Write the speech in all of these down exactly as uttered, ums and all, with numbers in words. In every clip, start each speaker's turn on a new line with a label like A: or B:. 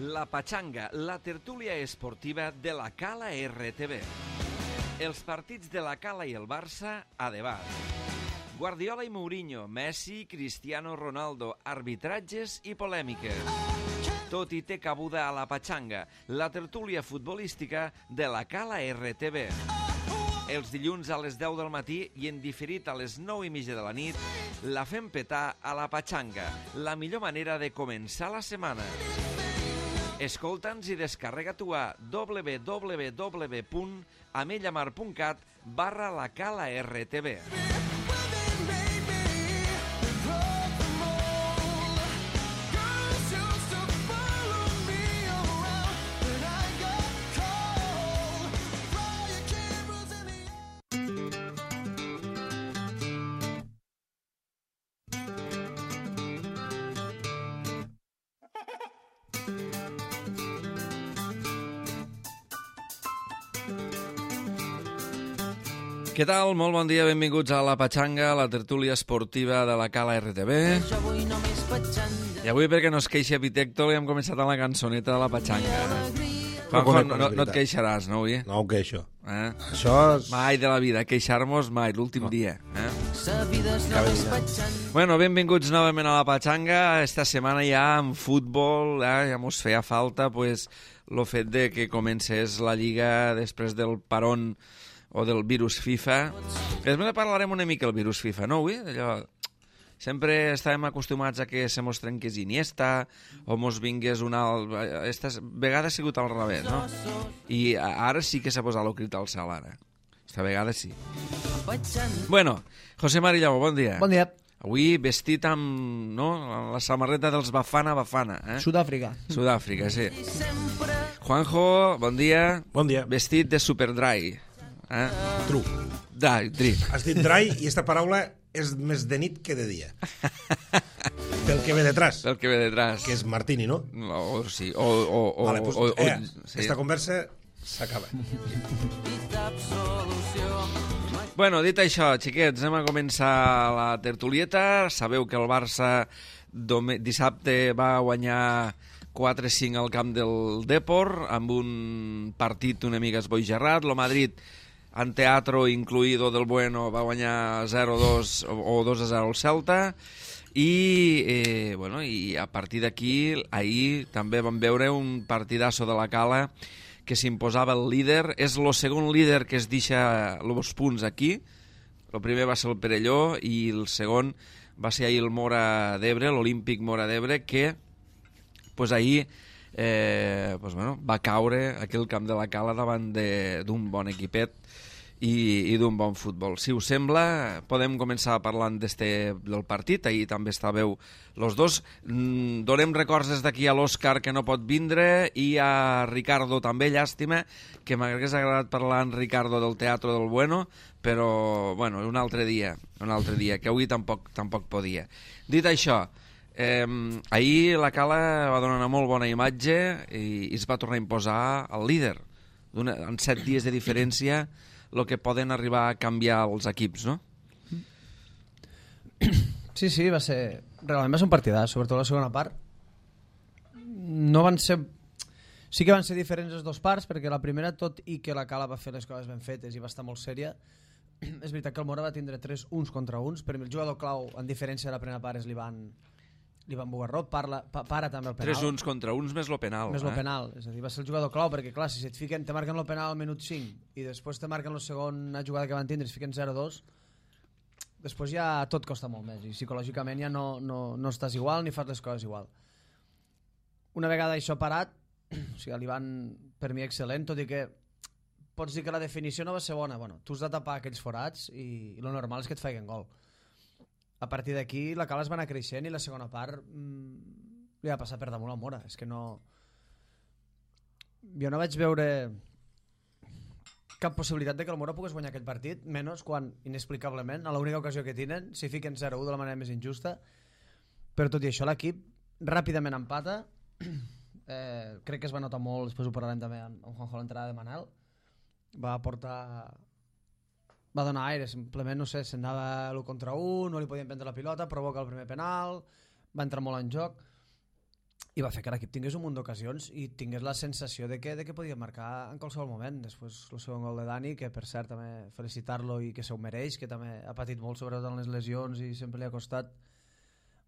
A: La Pachanga, la tertúlia esportiva de la Cala R T B. Els partits de la Cala i el Barça a debat. Guardiola i Mourinho, Messi, Cristiano Ronaldo, arbitratges i polèmiques. Tot i té cabuda a la Pachanga, la tertúlia futbolística de la Cala R T B. Els dilluns a les deu del matí i en diferit a les nou i mitja de la nit, la fem petar a la Pachanga, la millor manera de començar la setmana. Escolta'ns i descarrega-t'ho a w w w punt amellamar punt cat barra la Cala R T B. Què tal? Molt bon dia, benvinguts a la Pachanga, la tertúlia esportiva de la Cala R T B. I avui, perquè no es queixi Epitecto, hem començat amb la cançoneta de la Pachanga. Juanjo, no, no, no et queixaràs, no, avui?
B: No ho queixo.
A: Eh?
B: Això és...
A: Mai de la vida, queixar-nos mai, l'últim no. dia. Eh? Bueno, benvinguts novament a la Pachanga. Esta setmana ja en futbol, eh, ja mos feia falta pues, el fet de que comencés la Lliga després del parón o del virus FIFA. Després parlarem una mica del virus FIFA, no, avui? Allò... Sempre estàvem acostumats a que se mos trenqués Iniesta o mos vingués una... Esta vegada ha sigut al revés, no? I ara sí que s'ha posat el crit al cel, ara. Esta vegada sí. Bueno, José Marillau, bon dia.
C: Bon dia.
A: Avui vestit amb, no?, la samarreta dels Bafana Bafana, eh?
C: Sud-àfrica.
A: Sud-àfrica, sí. Juanjo, bon dia.
B: Bon dia.
A: Vestit de Superdry. Eh?
B: True.
A: Dry, dry.
B: Has dit dry i esta paraula és més de nit que de dia. Pel que ve detrás.
A: Pel que ve detrás.
B: Que és Martini, no?
A: O, sí. O, o, o,
B: vale, pues,
A: o, o,
B: eh,
A: sí.
B: Esta conversa s'acaba.
A: Bueno, dit això, xiquets, anem a començar la tertulieta. Sabeu que el Barça dissabte va guanyar quatre cinc al camp del Depor, amb un partit una mica esboigerrat. Lo Madrid, en teatro incluido del Bueno, va guanyar zero dos o dos a zero al Celta. I, eh, bueno, i a partir d'aquí, ahir també vam veure un partidasso de la Cala que s'imposava el líder. És el segon líder que es deixa els punts aquí. El primer va ser el Perelló i el segon va ser ahir el Mora d'Ebre, l'Olímpic Mora d'Ebre, que pues ahir eh, pues bueno, va caure aquí al camp de la Cala davant d'un bon equipet i, i d'un bon futbol. Si us sembla, podem començar parlant d'este, del partit. Ahir també estàveu los dos. Mm, donem records des d'aquí a l'Òscar, que no pot vindre, i a Ricardo també, llàstima, que m'hagués agradat parlar amb Ricardo del Teatro del Bueno, però bueno, un altre dia, un altre dia, que avui tampoc, tampoc podia. Dit això, Eh, ahir la Cala va donar una molt bona imatge i, i es va tornar a imposar el líder. En set dies de diferència, el que poden arribar a canviar els equips, no?
C: Sí, sí, va ser... Realment va ser un partidàs, sobretot la segona part. No van ser... Sí que van ser diferents les dues parts, perquè la primera, tot i que la Cala va fer les coses ben fetes i va estar molt sèria, és veritat que el Mora va tindre tres uns contra uns. Per mi el jugador clau, en diferència de la primera part, és l'Ivan... l'Ivan Bugarrot, parla, pa, para també el penal.
A: Tres uns contra uns més lo penal.
C: Més
A: eh?
C: lo penal, és a dir, va ser el jugador clau, perquè clar, si et fiquen, te marquen el penal al minut cinc i després te marquen la segona jugada que van tindre i es fiquen zero dos, després ja tot costa molt més i psicològicament ja no, no, no estàs igual ni fas les coses igual. Una vegada això parat, o sigui, l'Ivan per mi excel·lent, tot i que pots dir que la definició no va ser bona. Bueno, tu has de tapar aquells forats i, i lo normal és que et feien gol. A partir d'aquí la Cala es va anar creixent i la segona part mmm, li va passar per damunt al Mora. És que no... Jo no vaig veure cap possibilitat de que el Mora pogués guanyar aquest partit, menys quan, inexplicablement, a l'única ocasió que tenen, s'hi fiquen zero u de la manera més injusta. Però tot i això l'equip ràpidament empata. Eh, crec que es va notar molt, després ho parlarem també amb Juanjo, l'entrada de Manel. Va portar... va donar aire, simplement, no sé, s'anava l'u contra un, no li podien prendre la pilota, provoca el primer penal, va entrar molt en joc. i va fer que l'equip tingués un munt d'ocasions i tingués la sensació de que, de que podia marcar en qualsevol moment. Després el segon gol de Dani, que per cert també felicitar-lo i que s'ho mereix, que també ha patit molt sobretot en les lesions i sempre li ha costat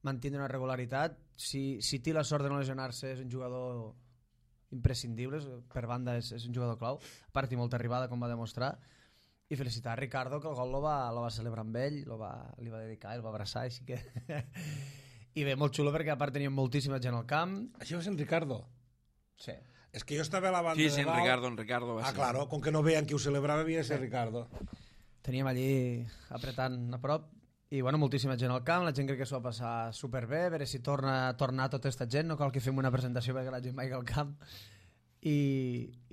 C: mantenir una regularitat. Si, si té la sort de no lesionar-se, és un jugador imprescindible, per banda és, és un jugador clau, a part i molta arribada com va demostrar, i felicitar a Ricardo, que el gol lo va, lo va celebrar amb ell, lo va, li va dedicar, el va abraçar, així que... I bé, molt xulo perquè a part teníem moltíssima gent al camp.
B: Això va ser en Ricardo?
C: Sí.
B: És que jo estava a la banda
A: sí, sí,
B: de
A: en
B: dalt.
A: Ricardo, en Ricardo va
B: Ah,
A: ser.
B: claro, com que no veien qui ho celebrava, havia de ser Ricardo.
C: Teníem allí apretant a prop i bueno, moltíssima gent al camp, la gent crec que s'ho va passar superbé, a veure si torna a tornar tota aquesta gent, no cal que fem una presentació perquè la gent vagi al camp. I,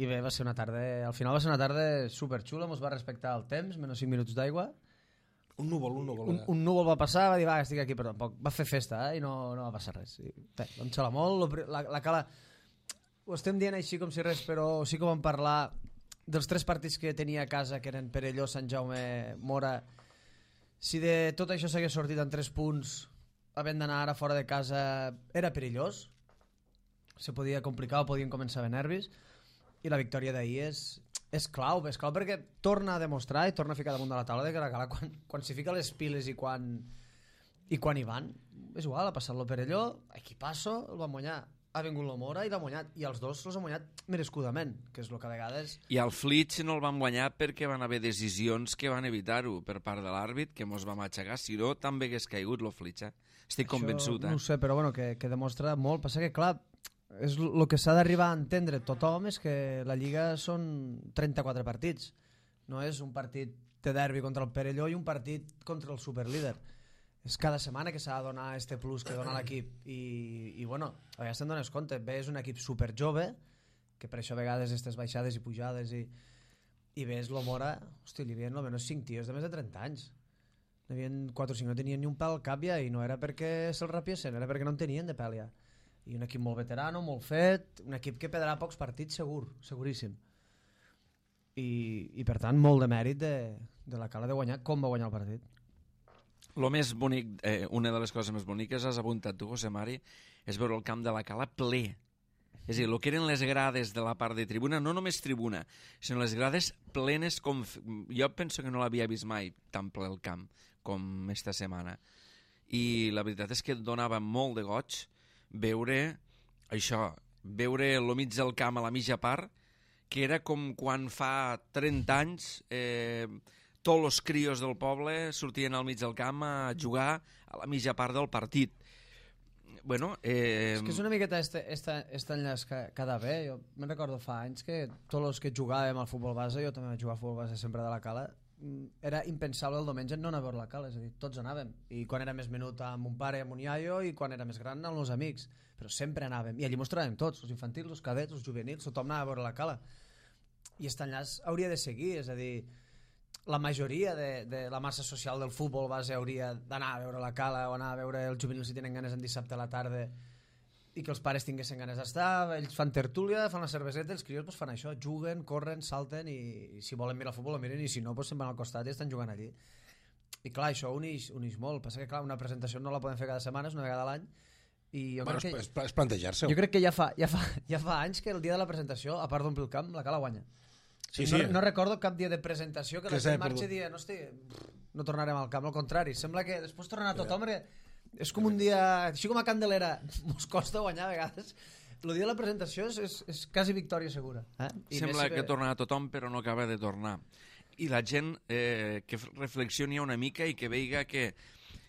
C: i bé, va ser una tarda, al final va ser una tarda superxula, ens va respectar el temps, menys cinc minuts d'aigua.
B: Un núvol, un núvol.
C: Un, un núvol va passar, va dir, va, estic aquí, però tampoc va fer festa, eh, i no, no va passar res. I, bé, vam xalar molt, la, la cala... Ho estem dient així com si res, però sí que vam parlar dels tres partits que tenia a casa, que eren Perelló, Sant Jaume, Mora. Si de tot això s'hagués sortit en tres punts, havent d'anar ara fora de casa, era perillós. Se podia complicar o podien començar a haver nervis. I la victòria d'ahir és... És clau, és clau perquè torna a demostrar i torna a ficar damunt de la taula de que la Cala quan, quan s'hi fica les piles i quan, i quan hi van, és igual, ha passat lo Perelló, equipasso, el van guanyar, ha vingut lo Mora i l'ha guanyat, i els dos els han guanyat merescudament, que és el que a vegades...
A: I al Flitx no el van guanyar perquè van haver decisions que van evitar-ho per part de l'àrbit, que mos va matxacar, si no també hagués caigut lo Flitx, eh? Estic convençut, eh?
C: No ho sé, però bueno, que, que demostra molt, passa que clar, és el que s'ha d'arribar a entendre tothom és que la Lliga són trenta-quatre partits, no és un partit de derbi contra el Perelló i un partit contra el superlíder, és cada setmana que s'ha de donar este plus que dona l'equip i, i bueno, a vegades te'n dones compte, ves un equip super jove que per això a vegades aquestes baixades i pujades i, i ves lo Mora, hosti, li havien almenys cinc tios de més de trenta anys, n'hi havia quatre o cinc, no tenien ni un pèl al cap ja, i no era perquè se'l rapiessin, era perquè no en tenien de pèl ja. I un equip molt veterano, molt fet, un equip que perdrà pocs partits segur, seguríssim. I, i per tant, molt de mèrit de, de la Cala de guanyar com va guanyar el partit.
A: Lo més bonic, eh, una de les coses més boniques, has apuntat tu, José Mari, és veure el camp de la Cala ple. És a dir, el que eren les grades de la part de tribuna, no només tribuna, sinó les grades plenes com... Jo penso que no l'havia vist mai tan ple el camp com esta setmana. I la veritat és que et donava molt de goig veure això, veure el mig del camp a la mitja part, que era com quan fa trenta anys eh, tots els crios del poble sortien al mig del camp a jugar a la mitja part del partit. Bueno, eh...
C: És que és una miqueta este, este, este enllaç que, que ha d'haver. Jo me'n recordo fa anys que tots els que jugàvem al futbol base, jo també vaig jugar al futbol base sempre de la Cala, era impensable el diumenge no anar a veure la Cala, és a dir, tots anàvem, i quan era més menut amb un pare, amb un iaio, i quan era més gran amb els amics, però sempre anàvem, i allí mostràvem tots, els infantils, els cadets, els juvenils, tothom anava a veure la Cala, i aquest enllaç hauria de seguir, és a dir, la majoria de, de la massa social del futbol base hauria d'anar a veure la Cala o anar a veure els juvenils si tenen ganes en dissabte a la tarda i que els pares tinguessin ganes d'estar, ells fan tertúlia, fan la cerveseta, els crios pues, fan això, juguen, corren, salten i, i si volen mirar futbol, miren, i si no, pues, se'n van al costat i estan jugant allí. I clar, això uneix, uneix molt. Passa que clar, una presentació no la podem fer cada setmana, és una vegada a l'any. I jo
B: bueno,
C: crec que,
B: és, és plantejar-se-ho.
C: jo crec que ja fa, ja, fa, ja fa anys que el dia de la presentació, a part d'omplir el camp, la Cala guanya.
B: Sí,
C: no,
B: sí.
C: no recordo cap dia de presentació que,
B: que
C: la gent marxi dient, hosti, no tornarem al camp, al contrari. Sembla que després tornarà tothom, yeah. És com un dia, així com a Candelera, mos costa guanyar a vegades. El dia de la presentació és, és, és quasi victòria segura. Eh? I
A: Sembla
C: si
A: que tornarà tothom, però no acaba de tornar. I la gent eh, que reflexioni una mica i que veiga que,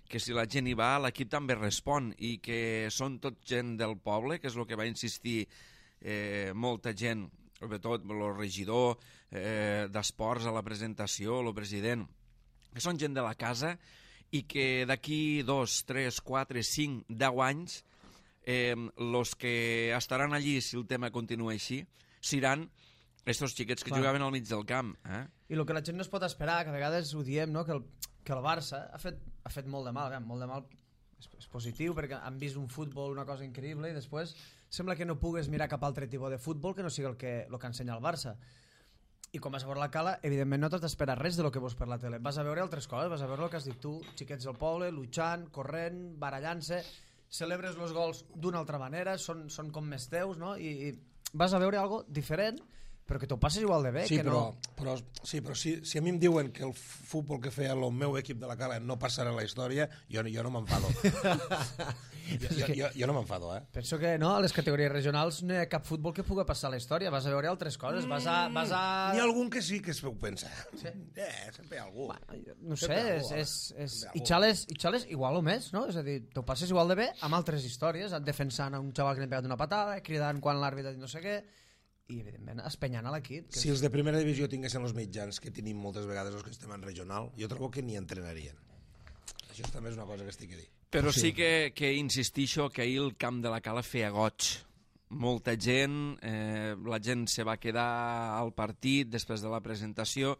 A: que si la gent hi va, l'equip també respon i que són tot gent del poble, que és el que va insistir eh, molta gent, sobretot el regidor eh, d'esports a la presentació, el president, que són gent de la casa i que d'aquí dos, tres, quatre, cinc, deu anys eh, los que estaran allí si el tema continua així seran estos xiquets que Clar. jugaven al mig del camp. Eh?
C: I el que la gent no es pot esperar, que a vegades ho diem, no? que, el, que el Barça ha fet, ha fet molt de mal, bé, molt de mal és, és positiu perquè han vist un futbol una cosa increïble i després sembla que no pugues mirar cap altre tipus de futbol que no sigui el que, el que ensenya el Barça. I quan vas a veure la Cala, evidentment no t'has d'esperar res de lo que veus per la tele. Vas a veure altres coses, vas a veure el que has dit tu, xiquets del poble, luchant, corrent, barallant-se. celebres els gols d'una altra manera, són, són com més teus, no? I, i vas a veure algo diferent, però que t'ho passes igual de bé.
B: Sí,
C: que
B: però,
C: no...
B: però, sí, però si, si a mi em diuen que el futbol que feia el meu equip de la Cala no passarà a la història, jo, jo no m'enfado. jo, jo, jo, jo no m'enfado, eh?
C: Penso que no, a les categories regionals no hi ha cap futbol que pugui passar a la història, vas a veure altres coses, vas a... Vas a...
B: N'hi ha algun que sí que es ho pensa.
C: Sí.
B: Eh, sempre hi ha algú.
C: Bueno, no sé,
B: Sempre
C: és,
B: algú,
C: és, és...
B: Sempre
C: I
B: algú.
C: xales, i xales igual o més, no? És a dir, t'ho passes igual de bé amb altres històries, defensant a un xaval que li ha pegat una patada, cridant quan l'àrbitre ha dit no sé què, i evidentment espenyant a l'equip. Que
B: Si els de primera divisió tinguessin els mitjans que tenim moltes vegades els que estem en regional, jo trobo que ni entrenarien. Això també és una cosa que estic a dir.
A: Però sí que, que insistixo que ahir el camp de la Cala feia goig. Molta gent, eh, la gent se va quedar al partit després de la presentació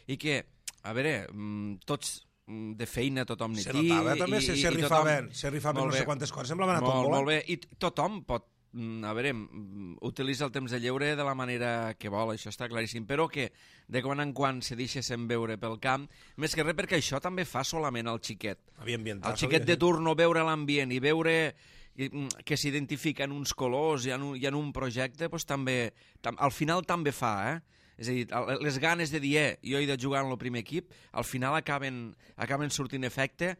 A: i que, a veure, mm, tots mm, de feina tothom n'hi
B: Se notava també,
A: i,
B: se,
A: i,
B: se
A: i
B: rifaven,
A: tothom-
B: se rifaven
A: Molt
B: no sé
A: bé.
B: quantes coses, semblava anar
A: molt,
B: tot
A: molt
B: molt
A: bé, i t- tothom pot, mm, a veure, mm, utilitza el temps de lleure de la manera que vol, això està claríssim, però que de quan en quan se deixessin veure pel camp, més que res perquè això també fa solament el xiquet.
B: Havia ambientat.
A: El xiquet de turno, veure l'ambient i veure i, mm, que s'identifiquen uns colors i en un, i en un projecte, doncs també, tam, al final també fa, eh? És a dir, el- les ganes de dir, eh, jo he de jugar en el primer equip, al final acaben, acaben sortint efecte.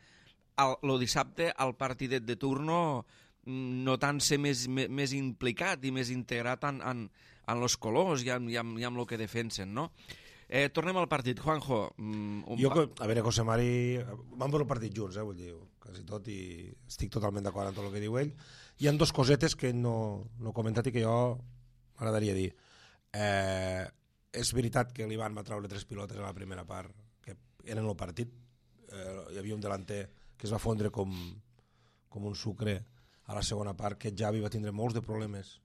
A: El, el dissabte, al partidet de turno, mm, notant-se més, més, més implicat i més integrat en, en, en els colors i en, i, en, i en el que defensen, no? Eh, tornem al partit. Juanjo, mm, un
B: Jo,
A: pa-
B: que- a veure, José Mari, vam veure el partit junts, eh, vull dir, quasi tot, i estic totalment d'acord amb tot el que diu ell. Hi ha dos cosetes que no, no he comentat i que jo m'agradaria dir. Eh, és veritat que l'Ivan va treure tres pilotes a la primera part, que eren el partit. Eh, hi havia un delanter que es va fondre com, com un sucre a la segona part, que Javi va tindre molts de problemes.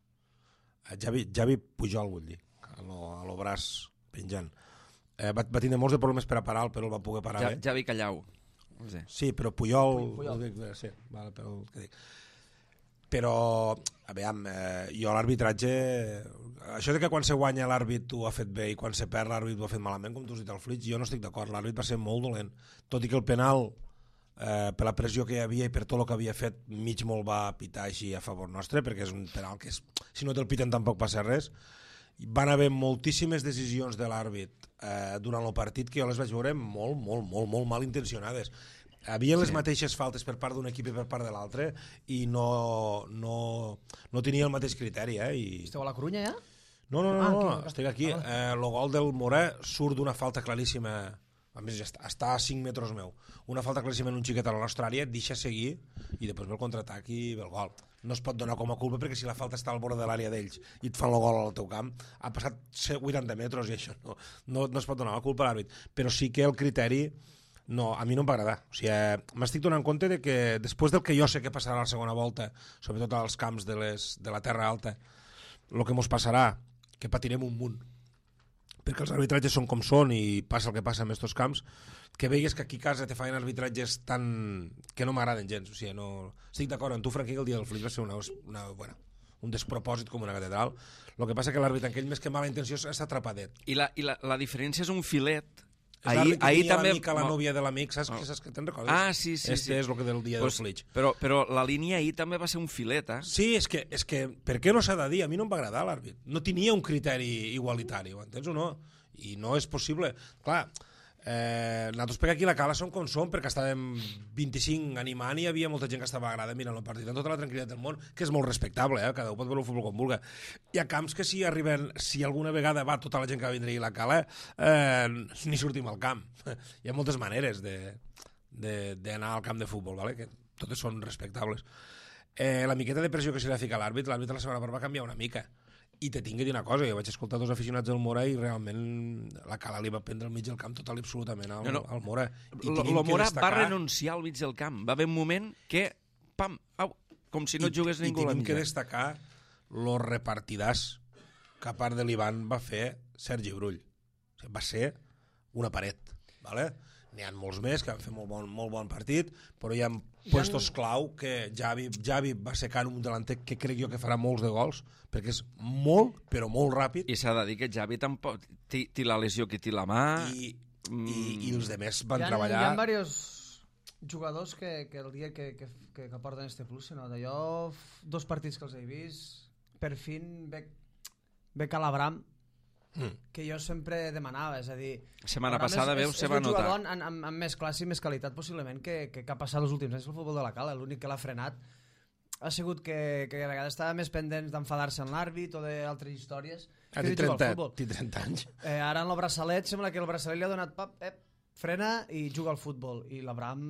B: Eh, Javi, Javi Pujol, vull dir, a lo, a lo braç penjant. Eh, va, va tindre molts de problemes per a parar, però el va poder parar
A: ja,
B: bé.
A: Javi Callau. No sé.
B: Sí, però Puyol...
C: Puyol.
B: Puyol. Sí, vale, però, què dic. Però, a veure, eh, jo l'arbitratge... Això de que quan se guanya l'àrbit ho ha fet bé i quan se perd l'àrbit ho ha fet malament, com tu has dit al Flix, jo no estic d'acord. L'àrbit va ser molt dolent. Tot i que el penal, eh, per la pressió que hi havia i per tot el que havia fet, mig molt va pitar així a favor nostre, perquè és un penal que és, si no te'l piten tampoc passa res. Van haver moltíssimes decisions de l'àrbit eh, durant el partit que jo les vaig veure molt, molt, molt, molt mal intencionades. Havia les
A: Sí.
B: mateixes faltes per part d'un equip i per part de l'altre i no, no, no tenia el mateix criteri. Eh? I...
C: Esteu a la Corunya ja?
B: No, no, no,
C: Ah,
B: no,
C: aquí,
B: no. estic aquí.
C: ah.
B: Eh, el gol del Morà surt d'una falta claríssima, a més ja està, està a cinc metres meu, una falta claríssima en un xiquet a la nostra àrea, et deixa seguir i després ve el contraatac i ve el gol. No es pot donar com a culpa perquè si la falta està al bord de l'àrea d'ells i et fan el gol al teu camp, ha passat vuitanta metres i això no, no, no es pot donar la culpa a l'àrbit. Però sí que el criteri no, a mi no em va agradar. O sigui, eh, m'estic donant compte de que després del que jo sé que passarà a la segona volta, sobretot als camps de, les, de la Terra Alta, el que mos passarà, que patirem un munt, perquè els arbitratges són com són i passa el que passa en aquests camps, que veigues que aquí a casa te feien arbitratges tan... que no m'agraden gens. O sigui, no... Estic d'acord amb tu, Franqui, que el dia del Flix va ser una, una, bueno, un despropòsit com una catedral. El que passa que l'àrbitre, aquell més que mala intenció, està atrapadet.
A: I, la, i la, la diferència és un filet.
B: És l'àrbit que
A: ahir
B: tenia
A: també...
B: l'amic a la nòvia de l'amic, saps,
A: Oh.
B: saps que te'n recordes?
A: Ah, sí, sí.
B: Este
A: sí.
B: és el que del dia
A: pues,
B: del Flix.
A: Però, però la línia ahir també va ser un filet, eh?
B: Sí, és que, és que per què no s'ha de dir? A mi no em va agradar l'àrbit. No tenia un criteri igualitari, ho entens o no? I no és possible. Clar, eh, nosaltres per aquí a la Cala som com som, perquè estàvem vint-i-cinc animant i hi havia molta gent que estava agrada mirant el partit amb tota la tranquil·litat del món, que és molt respectable, eh? Cada un pot veure el futbol com vulgui. Hi ha camps que si arriben, si alguna vegada va tota la gent que va vindre a la Cala, eh, ni sortim al camp. Hi ha moltes maneres d'anar al camp de futbol, vale? Que totes són respectables. Eh, la miqueta de pressió que se li ha ficat a l'àrbit, l'àrbit la segona part va canviar una mica. I te tinc que dir una cosa, jo vaig escoltar dos aficionats del Mora i realment la Cala li va prendre al mig del camp total i absolutament al,
A: No, no.
B: al Mora. I
A: Lo,
B: tenim
A: lo
B: que
A: Mora
B: destacar-
A: va renunciar al mig del camp. Va haver un moment que, pam, au, com si no
B: I,
A: jugués ningú a la
B: I tenim que
A: mitja.
B: destacar lo repartidàs que a part de l'Ivan va fer Sergi Brull. O sigui, va ser una paret, vale? N'hi ha molts més que van fer molt bon, molt bon partit, però hi ha puestos clau que Javi, Javi va secant un delanter que crec jo que farà molts de gols, perquè és molt, però molt ràpid,
A: I s'ha de dir que Javi tampoc té, té la lesió que té la mà.
B: i, i, i els demés van
C: hi ha,
B: treballar...
C: Hi ha diversos jugadors que, que el dia que, que, que, que porten este plus se nota. Jo, dos partits que els he vist, per fin ve, ve Calabram, mm. que jo sempre demanava, és a dir...
A: Setmana passada,
C: és,
A: veus,
C: és,
A: se va
C: notar. És un
A: notar.
C: jugador amb, amb, amb més classe i més qualitat, possiblement, que, que, que ha passat els últims anys el futbol de la Cala. L'únic que l'ha frenat ha sigut que, que a vegades estava més pendent d'enfadar-se en l'àrbit o d'altres històries
B: Ah,
C: que
B: té
C: de jugar
B: trenta,
C: al futbol.
B: té trenta anys.
C: Eh, ara en el braçalet sembla que el braçalet li ha donat pap, eh, frena i juga al futbol. I l'Abraham,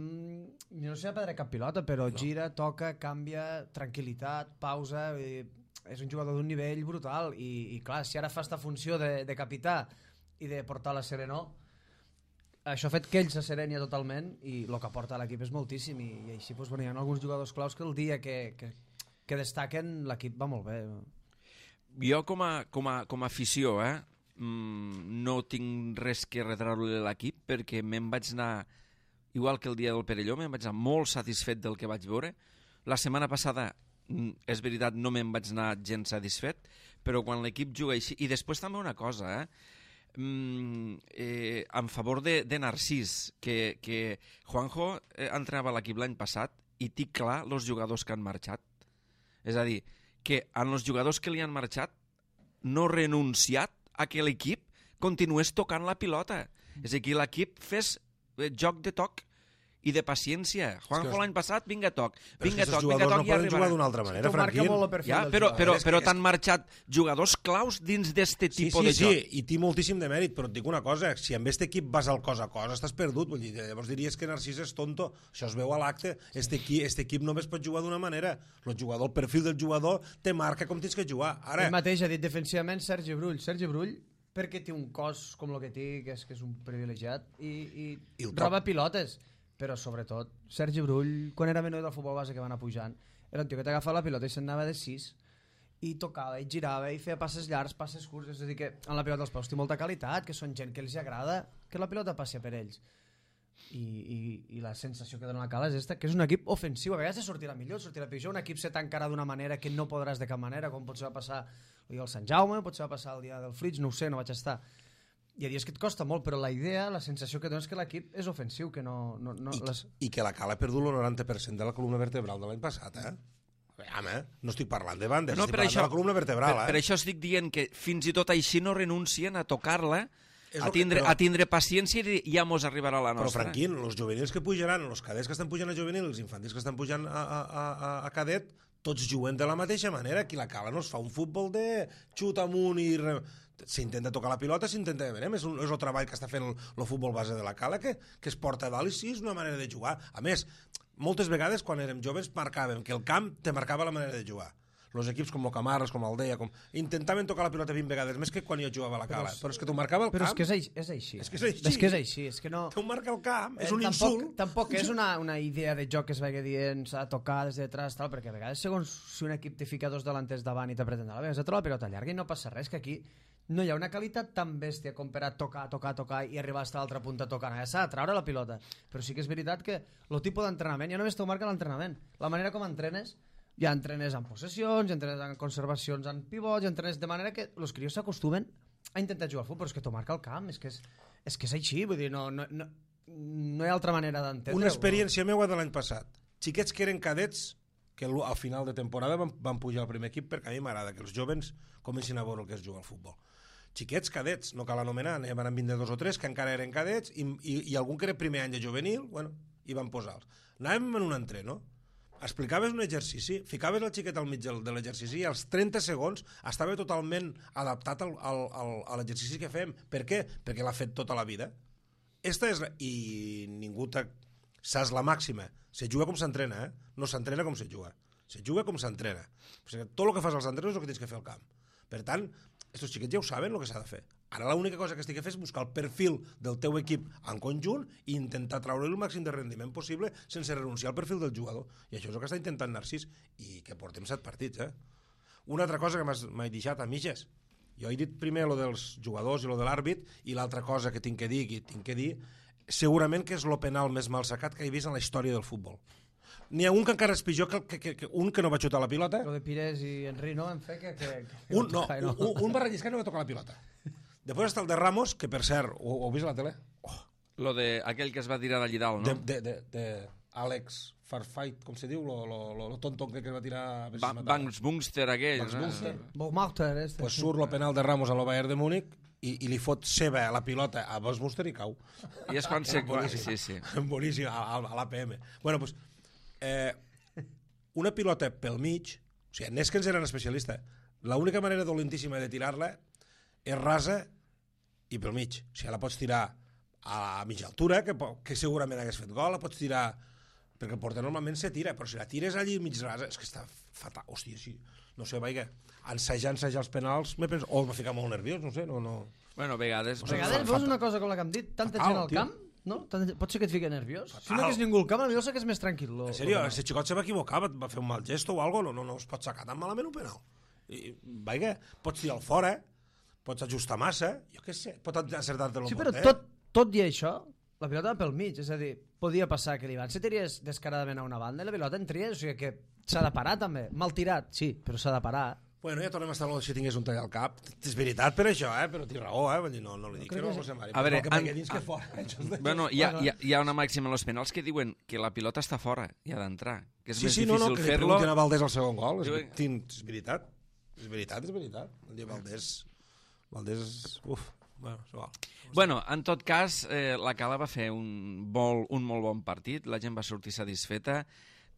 C: no sé si ha perdre cap pilota, però no. gira, toca, canvia, tranquil·litat, pausa... I és un jugador d'un nivell brutal i, i clar, si ara fa esta funció de, de capità i de portar la serenor, això ha fet que ell se serenia totalment i el que porta a l'equip és moltíssim i, i així doncs, bueno, hi ha alguns jugadors claus que el dia que, que, que destaquen l'equip va molt bé.
A: Jo com a, com a, com a afició eh, no tinc res que retreure l'equip perquè me'n vaig anar, igual que el dia del Perelló, me'n vaig anar molt satisfet del que vaig veure. La setmana passada, és veritat, no me'n vaig anar gens satisfet, però quan l'equip juga així... I després també una cosa, eh? Mm, eh, en favor de, de Narcís, que, que Juanjo eh, entrenava a l'equip l'any passat i tinc clar els jugadors que han marxat. És a dir, que en els jugadors que li han marxat no renunciat a que l'equip continués tocant la pilota. És a dir, que l'equip fes eh, joc de toc i de paciència. Juanjo l'any passat, vinga toc, vinga toc, vinga toc,
B: no
A: i
B: poden
A: arribarà.
B: jugar d'una altra manera, Franquín.
A: Ja, però però, però t'han marxat jugadors claus dins d'este
B: sí,
A: tipus
B: sí,
A: de joc.
B: Sí, i té moltíssim de mèrit, però et dic una cosa, si amb aquest equip vas al cos a cos, estàs perdut. Vull dir, llavors diries que Narcís és tonto. Això es veu a l'acte. Este equip, este equip només pot jugar d'una manera. El jugador, el perfil del jugador te marca com tens que jugar. Ara...
C: Ell mateix ha dit defensivament Sergi Brull. Sergi Brull, perquè té un cos com el que té, que és, que és un privilegiat, i, i, I roba pilotes. Però sobretot, Sergi Brull, quan era menor del futbol base que va anar pujant, era un tio que t'agafava la pilota i se'n anava de sis i tocava, i girava, i feia passes llargs, passes curts, és a dir que en la pilota dels peus té molta qualitat, que són gent que els agrada que la pilota passi per ells. I, i, i la sensació que dona la Cala és esta, que és un equip ofensiu, a vegades sortirà millor, sortirà pitjor, un equip se tancarà d'una manera que no podràs de cap manera, com potser va passar el dia del Sant Jaume, potser va passar el dia del Flix, no ho sé, no vaig estar. Hi ha dies que et costa molt, però la idea, la sensació que dona és que l'equip és ofensiu, que no... no, no
B: I,
C: les...
B: I que la Cala ha perdut el noranta per cent de la columna vertebral de l'any passat, eh? Home, no estic parlant de bandes,
A: no,
B: estic parlant això, de la columna vertebral,
A: per,
B: eh?
A: Per això estic dient que fins i tot així no renuncien a tocar-la, a tindre,
B: que, però,
A: a tindre paciència i ja mos arribarà la nostra.
B: Però, Franquín, els juvenils que pujaran, els cadets que estan pujant a juvenil, els infantils que estan pujant a, a, a, a cadet, tots juguen de la mateixa manera. Aquí la Cala no es fa un futbol de xut amunt i... Re... s'intenta tocar la pilota, s'intenta... Veurem, és, un, és el treball que està fent el, el futbol base de la Cala, que, que es porta a dalt i sí, és una manera de jugar. A més, moltes vegades, quan érem joves, marcàvem que el camp te marcava la manera de jugar. Els equips com Camarles, com Aldea, com... intentaven tocar la pilota vint vegades més que quan jo jugava a la Cala. Però, però és que t'ho marcava el
C: però
B: camp.
C: Però és que és, és així.
B: És que és així.
C: És que és així. És que no...
B: T'ho marca el camp, és un
C: eh, tampoc,
B: insult.
C: Tampoc és una, una idea de joc que es vagi dient s'ha de tocar des de detrás, tal, perquè a vegades, segons si un equip te fica dos delanters davant i te pretén a la vegada, la pilota llarga i no passa res, que aquí no hi ha una qualitat tan bèstia com per a tocar, tocar, tocar i arribar fins a l'altra punta tocant. Ja s'ha de treure la pilota. Però sí que és veritat que el tipus d'entrenament, ja només t'ho marca l'entrenament. La manera com entrenes, ja entrenes en possessions, ja entrenes en conservacions en pivots, ja entrenes de manera que els crios s'acostumen a intentar jugar al futbol, però és que t'ho marca el camp, és que és, és, que és així, vull dir, no, no, no, no hi ha altra manera d'entendre-ho.
B: Una experiència meua de l'any passat. Xiquets que eren cadets, que al final de temporada van, van pujar al primer equip, perquè a mi m'agrada que els jovens comencin a veure el que és jugar al futbol. Xiquets cadets, no cal anomenar, n'hi van vint dos o tres que encara eren cadets i, i, i algun que era primer any de juvenil, bueno, i van posar-los. Anàvem en un entreno, explicaves un exercici, ficaves el xiquet al mig de l'exercici i als trenta segons estava totalment adaptat al, al, al, a l'exercici que fem. Per què? Perquè l'ha fet tota la vida. Esta és la... I ningú t'ha... Saps la màxima. Se juga com s'entrena, eh? No s'entrena com se juga. Se juga com s'entrena. Tot el que fas als entrenos és el que tens que fer al camp. Per tant, estos xiquets ja ho saben el que s'ha de fer. Ara l'única cosa que estic a fer és buscar el perfil del teu equip en conjunt i intentar treure el màxim de rendiment possible sense renunciar al perfil del jugador. I això és el que està intentant Narcís. I que portem set partits, eh? Una altra cosa que m'he deixat a mitges. Jo he dit primer lo dels jugadors i lo de l'àrbit, i l'altra cosa que tinc que dir, que tinc que dir, segurament que és el penal més mal sacat que he vist en la història del futbol. N'hi ha un que encara és pitjor que, que, que, que un que no va xutar la pilota.
C: Lo de Pires i Henry, no? En fe que... que, que
B: un, no, no. Un, un va relliscar i no va tocar la pilota. Després està el de Ramos, que per cert, ho, ho heu vist a la tele? Oh,
A: Lo de aquell que es va tirar d'allí dalt, no?
B: De, de, de, de Alex Farfight, com se diu, lo, lo, lo, lo tonto que es va tirar... A
A: Ba Banks Bungster aquell.
B: Banks Bungster.
C: Bogmauter, este.
B: Pues surt el penal de Ramos a lo Bayern de Múnich i, i li fot seva la pilota a Banks Bungster i cau.
A: I és quan se...
B: Boníssim,
A: sí, sí.
B: boníssim, a, a l'A P M. Bueno, pues, eh, una pilota pel mig, o sigui, Neskens era un especialista, l'única manera dolentíssima de tirar-la és rasa i pel mig. O sigui, la pots tirar a mitja altura, que, que segurament hagués fet gol, la pots tirar... perquè el porter normalment se tira, però si la tires allí mig rasa, és que està fatal. Hòstia, sí, no sé, vaig ensejar, ensejar els penals, me penso, o m'ha ficat molt nerviós, no sé, no... no...
A: Bueno, a vegades...
C: A vegades veus una cosa com la que hem dit, tanta gent al camp, no? Pot ser que et fiqui nerviós. Si no hagués ningú al camp, potser que és més tranquil.
B: En sèrio, aquest xicot se va equivocar, va fer un mal gesto o alguna cosa, no, no es pot sacar tan malament un penal. I, vaja, pots tirar al fora, pots ajustar massa, jo què sé, pot acertar-te el
C: sí, però tot, tot i això, la pilota va pel mig, és a dir, podia passar que l'Ivan se tires descaradament a una banda i la pilota entria, o sigui que s'ha de parar també. Mal tirat, sí, però s'ha de parar.
B: Bueno, ja tornem a estar si tingués un tall al cap. És veritat per això, eh? Però té raó, eh? No, no li dic que no, José Mari.
A: A veure,
B: que
A: an...
B: dins que fora.
A: Bueno, hi ha, hi, ha, hi ha una màxima en els penals que diuen que la pilota està fora i ha d'entrar, que és
B: sí,
A: més
B: sí,
A: difícil
B: no, no, que
A: fer-lo.
B: li pregunten a Valdés al segon gol. És, és veritat. És veritat, és veritat. El dia Valdés... Valdés... Uf... Bueno, igual.
A: Bueno, en tot cas, eh, la Cala va fer un, vol, un molt bon partit, la gent va sortir satisfeta,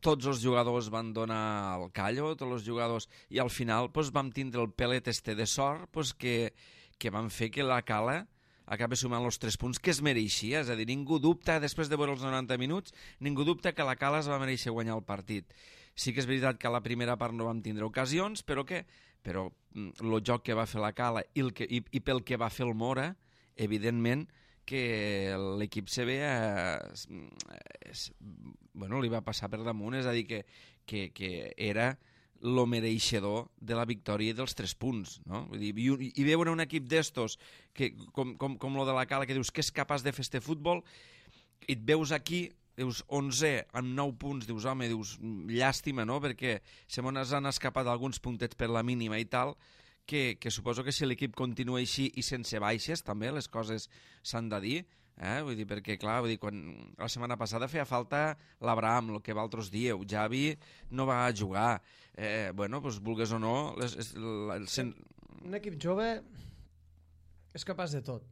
A: tots els jugadors van donar el callo, tots els jugadors, i al final pues, vam tindre el pelet este de sort pues, que, que van fer que la Cala acaba sumant els tres punts que es mereixia, és a dir, ningú dubta, després de veure els noranta minuts, ningú dubta que la Cala es va mereixer guanyar el partit. Sí que és veritat que a la primera part no vam tindre ocasions, però què? Però el joc que va fer la Cala i, el que, i, i pel que va fer el Mora, evidentment que l'equip C B eh, bueno, li va passar per damunt, és a dir, que, que, que era lo mereixedor de la victòria i dels tres punts, no? Vull dir, i, i veure un equip d'estos que, com, com, com lo de la Cala, que dius que és capaç de fer este futbol, i et veus aquí, dius onze amb nou punts, dius home, dius llàstima, no? Perquè se mos han escapat alguns puntets per la mínima i tal, que, que suposo que si l'equip continua així i sense baixes, també les coses s'han de dir, eh? Vull dir, perquè clar, vull dir, quan la setmana passada feia falta l'Abraham, el que vosaltres dieu, Javi no va jugar, eh, bueno, doncs vulgues o no... Les, les, les, les...
C: Un equip jove és capaç de tot,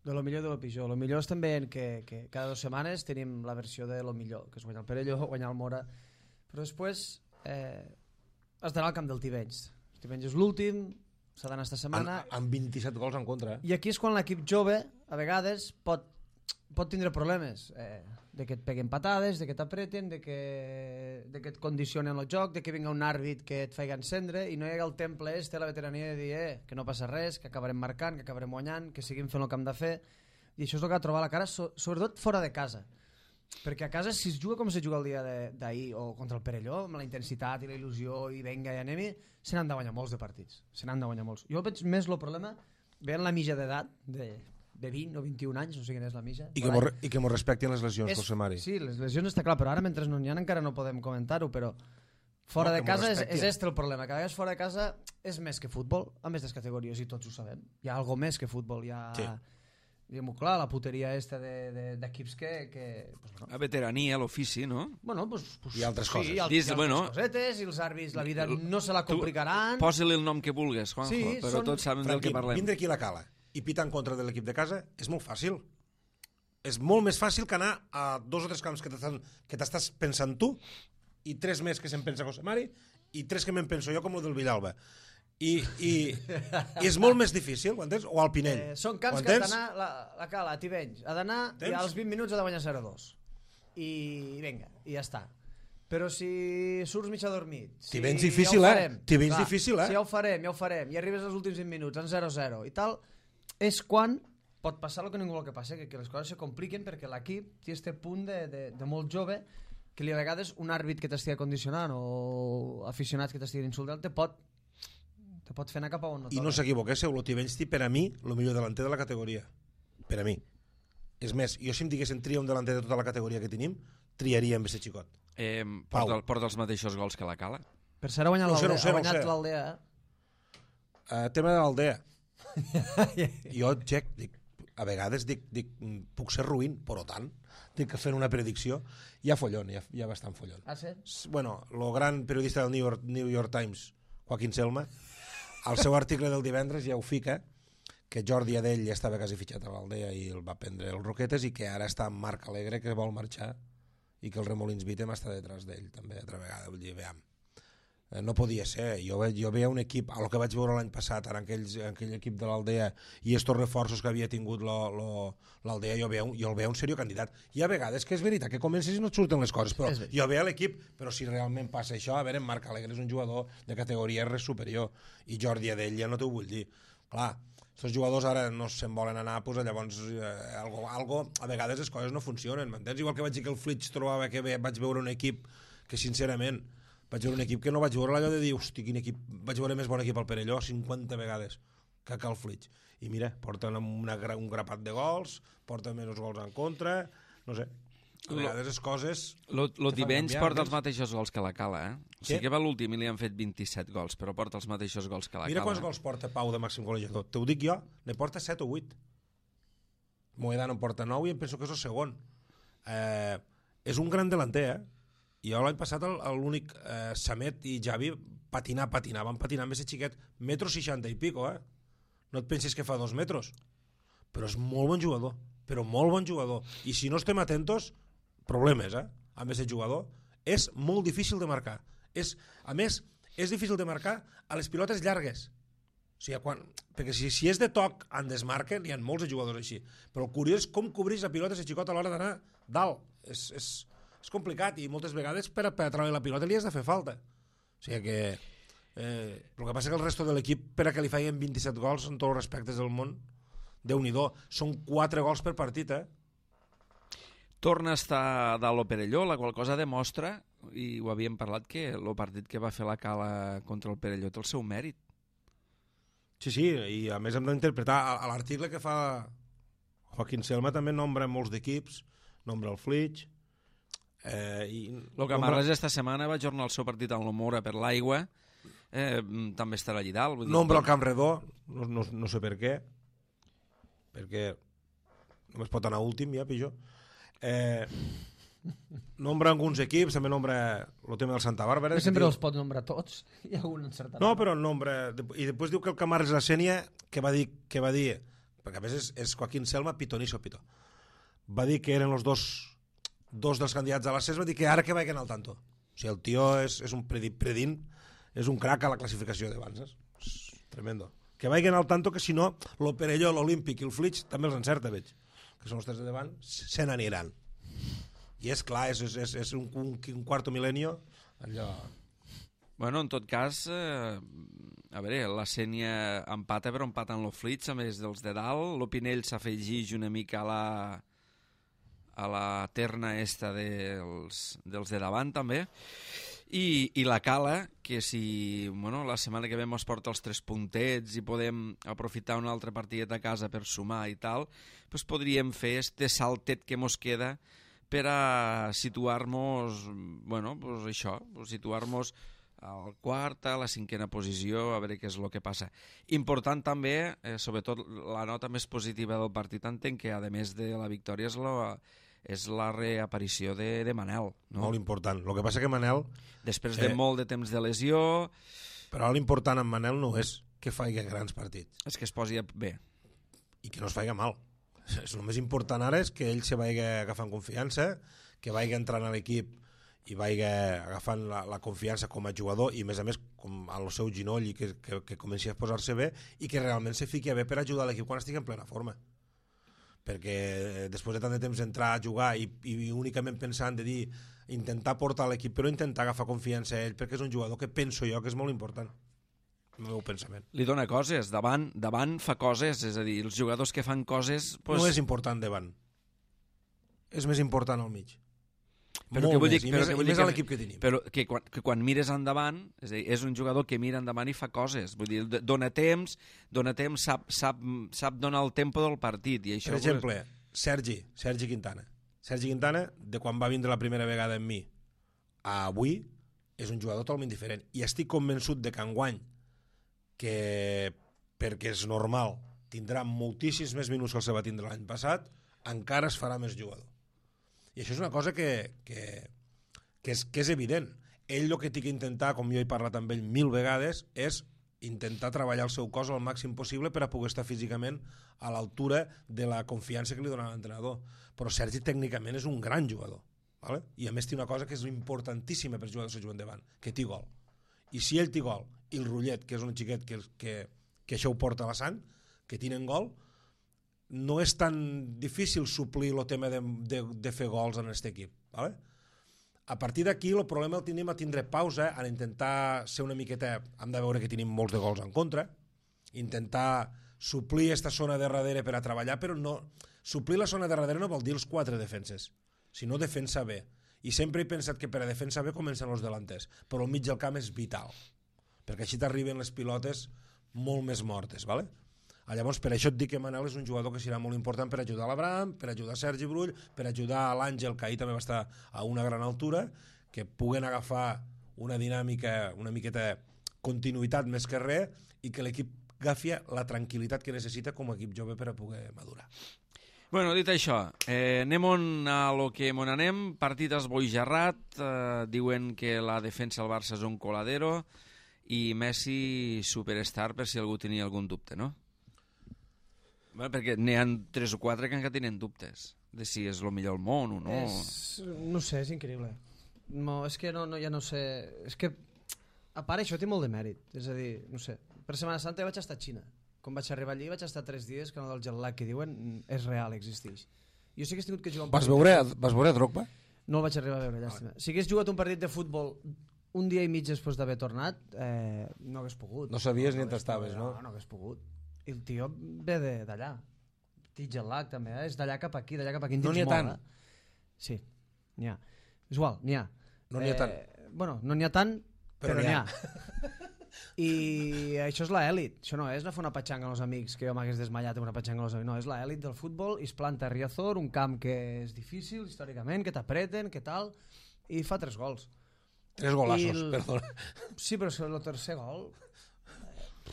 C: de lo millor i de lo pitjor. Lo millor és també que, que cada dues setmanes tenim la versió de lo millor, que és guanyar el Perelló, guanyar el Mora, però després eh, has d'anar al camp del Tivenys. El Tivenys és l'últim, s'ha d'anar esta setmana...
B: Amb, amb vint-i-set gols en contra, eh?
C: I aquí és quan l'equip jove, a vegades, pot, pot tindre problemes, eh, de que et peguen patades, de que t'apreten, de que, de que et condicionen el joc, de que vinga un àrbit que et faci encendre i no hi ha el temple este, la veterania de dir eh, que no passa res, que acabarem marcant, que acabarem guanyant, que seguim fent el que hem de fer, i això és el que ha de trobar la cara, so, sobretot fora de casa, perquè a casa si es juga com se juga el dia d'ahir o contra el Perelló, amb la intensitat i la il·lusió i venga i anem-hi, se n'han de guanyar molts de partits, se n'han de guanyar molts. Jo veig més el problema veient la mitja d'edat de de vint o vint-i-un anys, no sé quina és la mitja.
B: I que, mos, i que mos respectin les lesions,
C: és,
B: José Mari.
C: Sí, les lesions està clar, però ara mentre no n'hi ha encara no podem comentar-ho, però fora no, de casa és, és este el problema, que a vegades fora de casa és més que futbol, a més des categories, i tots ho sabem. Hi ha algo més que futbol, hi ha... Sí. Diguem-ho clar, la puteria esta d'equips de, de, que... que pues, bueno.
A: La veterania, l'ofici, no?
C: Bueno, pues, pues,
B: i altres coses.
C: Sí, i, al,
A: Dis,
C: i altres
A: bueno,
C: cosetes, i els àrbits, la vida no se la complicaran.
A: Posa-li el nom que vulgues, Juanjo, sí, però són... tots saben del que parlem.
B: Vindre aquí a la Cala i pitar en contra de l'equip de casa és molt fàcil. És molt més fàcil que anar a dos o tres camps que t'estàs pensant tu i tres més que se'n pensa José Mari i tres que me'n penso jo com el del Villalba. I, i, i és molt més difícil, ho entens? O al Pinell.
C: Eh, són camps que ha d'anar la, la Cala, a Tivenys, ha d'anar i als vint minuts ha de guanyar zero a dos. I vinga, i ja està. Però si surts mig adormit... Si
B: Tivenys difícil, ja eh? Tivenys difícil, eh?
C: Si ja ho farem, ja ho farem, i arribes als últims vint minuts en zero a zero i tal, és quan pot passar el que ningú vol que passi, que, que les coses se compliquen perquè l'equip té este punt de, de, de molt jove que li a vegades un àrbit que t'estigui condicionant o aficionats que t'estiguin insultant te pot, te pot fer anar cap a on no toca.
B: I no s'equivoquéssiu, el Tivenys té per a mi el millor delanter de la categoria. Per a mi. És més, jo si em diguessin tria un delanter de tota la categoria que tenim, triaria amb aquest xicot.
A: Eh, porta, porta els mateixos gols que la Cala.
C: Per cert, ha guanyat
B: no sé,
C: l'Aldea.
B: No sé,
C: ha guanyat
B: no
C: l'Aldea, eh?
B: Uh, tema de l'Aldea. Jo, Jack, dic, a vegades dic, dic puc ser ruïn, però tant, dic que fent una predicció, hi ha follon, hi ha, hi ha bastant follon.
C: Ah, sí?
B: Bueno, el gran periodista del New York, New York Times, Joaquín Selma, al seu article del divendres ja ho fica, que Jordi Adell ja estava quasi fitxat a l'Aldea i el va prendre el Roquetes i que ara està en Marc Alegre, que vol marxar i que el Remolins Vitem està detrás d'ell també altra vegada, vull dir, veiem. No podia ser, jo, ve, jo veia un equip, el que vaig veure l'any passat, en aquell, en aquell equip de l'Aldea i estos reforços que havia tingut l'Aldea, jo, veu, jo el veia un seriós candidat. Hi ha vegades que és veritat que comences i no et surten les coses, però jo veia l'equip, però si realment passa això, a veure, en Marc Alegre és un jugador de categoria res superior i Jordi Adell ja no t'ho vull dir. Clar, aquests jugadors ara no se'n volen anar, doncs llavors eh, algo, algo, a vegades les coses no funcionen, m'entens? Igual que vaig dir que el Flitch trobava que bé, vaig veure un equip que sincerament vaig veure un equip que no vaig veure allò de dir, hosti, quin equip, vaig veure més bon equip al Perelló cinquanta vegades que cal Flitch. I mira, porten una, un grapat de gols, porten menys gols en contra, no sé. A vegades les coses...
A: L'Otibenys porta els mateixos gols que la Cala, eh? O sigui que va l'últim i li han fet vint-i-set gols, però porta els mateixos gols que la Cala.
B: Mira quants gols porta Pau de màxim golejador. T'ho dic jo, ne porta set o vuit. Moedano en porta nou i em penso que és el segon. Eh, és un gran delanter, eh? I jo l'any passat l'únic eh, Samet i Javi patinar, patinar, van patinar amb ese xiquet, metro seixanta i pico, eh? No et pensis que fa dos metres, però és molt bon jugador, però molt bon jugador. I si no estem atentos, problemes, eh? Amb ese jugador. És molt difícil de marcar. És, a més, és difícil de marcar a les pilotes llargues. O sigui, quan, perquè si, si és de toc en desmarquen, hi ha molts de jugadors així. Però el curiós és com cobreix la pilota ese xicot a l'hora d'anar dalt. És... és és complicat i moltes vegades per a, per a treure la pilota li has de fer falta. O sigui que eh, el que passa que el resto de l'equip per a que li feien vint-i-set gols en tots els respectes del món, Déu-n'hi-do, són quatre gols per partit, eh?
A: Torna a estar dalt lo Perelló, la qual cosa demostra, i ho havíem parlat, que el partit que va fer la Cala contra el Perelló té el seu mèrit.
B: Sí, sí, i a més hem d'interpretar a l'article que fa Joaquín Selma també nombra molts d'equips, nombra el Flitch.
A: Eh, i el Camarles esta setmana va jornar el seu partit amb l'Omora per l'aigua, eh, també estarà allà dalt.
B: Nombra el Camp Redó, no, no, no sé per què, perquè només pot anar últim ja, pitjor. Eh, nombra alguns equips, també nombra el tema del Santa Bàrbara.
C: Però sempre diu... els pot nombrar tots, hi ha algun encertat.
B: No, però nombra, i després diu que el Camarles la Sènia, que va dir, que va dir perquè a més és, és Joaquín Selma, pitonisso pito, va dir que eren els dos dos dels candidats a l'accés, va dir que ara que vagin al tanto. O sigui, el tio és, és un predint, predint, és un crac a la classificació d'Avances. És tremendo. Que vagin al tanto, que si no, el Perelló, l'Olímpic i el Flitch també els encerta, veig. Que són els tres de davant, se n'aniran. I és clar, és, és, és, és un, un, un quarto mil·lenio, allò...
A: Bueno, en tot cas, eh, a veure, la Sènia empata, però empata en el Flitch, a més dels de dalt. L'Opinell s'afegeix una mica a la... a la terna esta dels, dels de davant també, i, i la Cala, que si bueno, la setmana que ve mos porta els tres puntets i podem aprofitar un altre partidet a casa per sumar i tal, pues podríem fer este saltet que mos queda per a situar-nos, bueno, pues això, pues situar-nos al quart, a la cinquena posició, a veure què és el que passa. Important també, eh, sobretot la nota més positiva del partit, entenc que a més de la victòria és la, és la reaparició de, de Manel. No?
B: Molt important. El que passa que Manel...
A: Després de eh, molt de temps de lesió...
B: Però l'important en Manel no és que faci grans partits.
A: És que es posi bé.
B: I que no es faci mal. El més important ara és que ell se vagi agafant confiança, que vagi entrant a l'equip i vagi agafant la, la confiança com a jugador i, a més a més, com al seu ginoll i que, que, que comenci a posar-se bé i que realment se fiqui bé per ajudar l'equip quan estigui en plena forma. Perquè després de tant de temps entrar a jugar i, i únicament pensant de dir intentar portar l'equip, però intentar agafar confiança a ell, perquè és un jugador que penso jo que és molt important. El meu pensament.
A: Li dona coses, davant, davant fa coses, és a dir, els jugadors que fan coses...
B: Pues... No és important davant. És més important al mig.
A: Però que vull dir,
B: i
A: però
B: més,
A: que vull
B: i més
A: dir
B: a l'equip que tenim.
A: Però que quan, que quan mires endavant, és a dir, és un jugador que mira endavant i fa coses. Vull dir, dona temps, dona temps, sap, sap, sap donar el tempo del partit. I això
B: per exemple, pues... Sergi, Sergi Quintana. Sergi Quintana, de quan va vindre la primera vegada amb mi a avui, és un jugador totalment diferent. I estic convençut de que enguany, que perquè és normal, tindrà moltíssims més minuts que el se va tindre l'any passat, encara es farà més jugador. I això és una cosa que, que, que, és, que és evident. Ell el que té que intentar, com jo he parlat amb ell mil vegades, és intentar treballar el seu cos al màxim possible per a poder estar físicament a l'altura de la confiança que li dona l'entrenador. Però Sergi tècnicament és un gran jugador, ¿vale? I a més té una cosa que és importantíssima per jugar de juguen davant, que té gol. I si ell té gol, i el Rullet, que és un xiquet que, que, que això ho porta a la sang, que tenen gol, no és tan difícil suplir el tema de, de, de fer gols en aquest equip, ¿vale? A partir d'aquí el problema el tenim a tindre pausa, a intentar ser una miqueta, hem de veure que tenim molts de gols en contra, intentar suplir aquesta zona de darrere per a treballar, però no, suplir la zona de darrere no vol dir els quatre defenses, sinó defensa bé. I sempre he pensat que per a defensa bé comencen els delanters, però el mig del camp és vital, perquè així t'arriben les pilotes molt més mortes, ¿vale? Llavors, per això et dic que Manel és un jugador que serà molt important per ajudar l'Abraham, per ajudar Sergi Brull, per ajudar a l'Àngel, que ahir també va estar a una gran altura, que puguen agafar una dinàmica, una miqueta continuïtat més que res, i que l'equip agafi la tranquil·litat que necessita com a equip jove per a poder madurar.
A: Bueno, dit això, eh, anem on a lo que mon anem, partit esboijarrat, eh, diuen que la defensa del Barça és un coladero, i Messi superstar per si algú tenia algun dubte, no? Bueno, perquè n'hi ha tres o quatre que encara tenen dubtes de si és el millor del món o no.
C: És, no sé, és increïble. No, és que no, no, ja no sé... És que, a part, això té molt de mèrit. És a dir, no sé, per Setmana Santa vaig estar a Xina. Quan vaig arribar allí vaig estar tres dies, que no del jet lag que diuen és real, existeix. Jo sí que he tingut que jugar un
B: vas
C: partit...
B: Veure, vas veure Drogba?
C: No el vaig arribar a veure, llàstima. Si hagués jugat un partit de futbol un dia i mig després d'haver tornat, eh, no hagués pogut.
B: No sabies
C: no,
B: ni on estaves, no?
C: No, no hagués pogut. I el tio ve d'allà. Jet lag també, eh? És d'allà cap aquí, d'allà cap aquí.
B: No n'hi ha tant.
C: Eh? Sí, n'hi ha. És igual, n'hi ha.
B: No n'hi ha tant.
C: Eh, bueno, no n'hi ha tant, però, però n'hi ha. I això és l'elit. Això no és anar a fer una patxanga amb els amics, que jo m'hagués desmallat amb una patxanga amb els amics. No, és l'elit del futbol, i es planta a Riazor, un camp que és difícil històricament, que t'apreten, que tal, i fa tres gols.
B: Tres golassos,
C: el...
B: perdona.
C: Sí, però el tercer gol...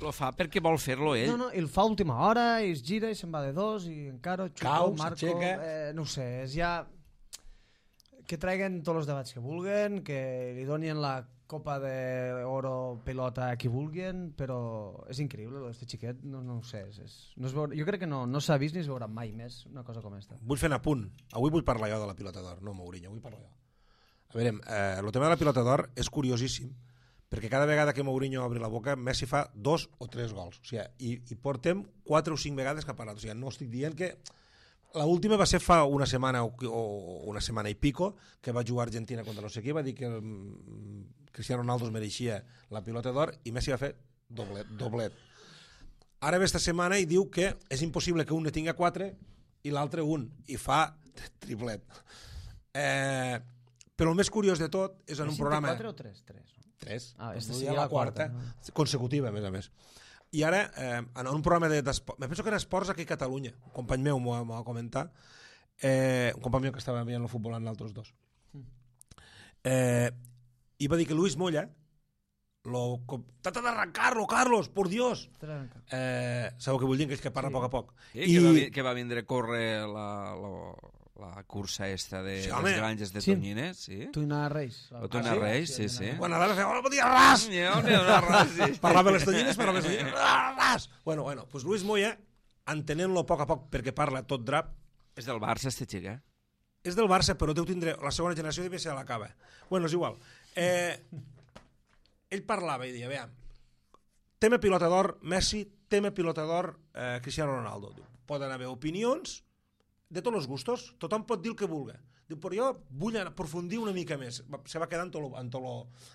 A: Lo fa perquè vol fer-lo ell.
C: No, no, i el fa a última hora, i es gira, i se'n va de dos, i encara xuto,
B: Cau,
C: marco...
B: s'aixeca...
C: Eh, no ho sé, és ja... Que traiguen tots els debats que vulguen, que li donin la copa d'oro pilota a qui vulguin, però és increïble, aquest xiquet, no, no ho sé. És, és, no es veure, jo crec que no, no s'ha vist ni es veurà mai més una cosa com aquesta.
B: Vull fer un apunt. Avui vull parlar jo de la pilota d'or, no Mourinho, vull parlar jo. A veure, eh, el tema de la pilota d'or és curiosíssim, perquè cada vegada que Mourinho obri la boca, Messi fa dos o tres gols. O sigui, i, i portem quatre o cinc vegades que ha parlat. O sigui, no estic dient que... L'última va ser fa una setmana o, o una setmana i pico, que va jugar a Argentina contra no sé qui, va dir que el Cristiano Ronaldo es mereixia la pilota d'or i Messi va fer doblet. doblet. Ara ve esta setmana i diu que és impossible que un ne tinga quatre i l'altre un, i fa triplet. Eh, però el més curiós de tot és en un programa...
C: quatre o tres? tres, no?
B: Tres.
C: Ah, esta
B: no
C: seria
B: la
C: la quarta,
B: quarta,
C: no?
B: consecutiva, a més a més. I ara, eh, en un programa d'esports, me penso que era Esports aquí a Catalunya, un company meu m'ho va comentar, eh, un company meu que estava veient el futbol amb altres dos, eh, i va dir que Luis Moya, lo, trata d'arrancar-lo, Carlos, por Dios. Eh, sabeu què vull dir? Que és que parla sí. a poc a poc.
A: Sí, I... que, va, que va vindre a córrer la... la... la cursa esta de sí, les granges de sí. Tonyines, sí?
C: Tuina Reis.
A: O Tuina ah, Reis, sí, sí. sí.
B: Bueno, ara feu, hola, bon dia, ras!
A: ras sí.
B: Parlava les Tonyines, però les Tonyines, ras! Bueno, bueno, pues Luis Moya, entenent-lo a poc a poc, perquè parla tot drap...
A: És del Barça, este xic, eh?
B: És del Barça, però deu tindre... La segona generació devia ser a la cava. Bueno, és igual. Eh, ell parlava i deia, veam, tema pilota d'or, Messi, tema pilota d'or, eh, Cristiano Ronaldo. Diu, poden haver opinions de tots els gustos, tothom pot dir el que vulgui. Diu, però jo vull aprofundir una mica més. Se va quedar en, tot lo, en, tot lo,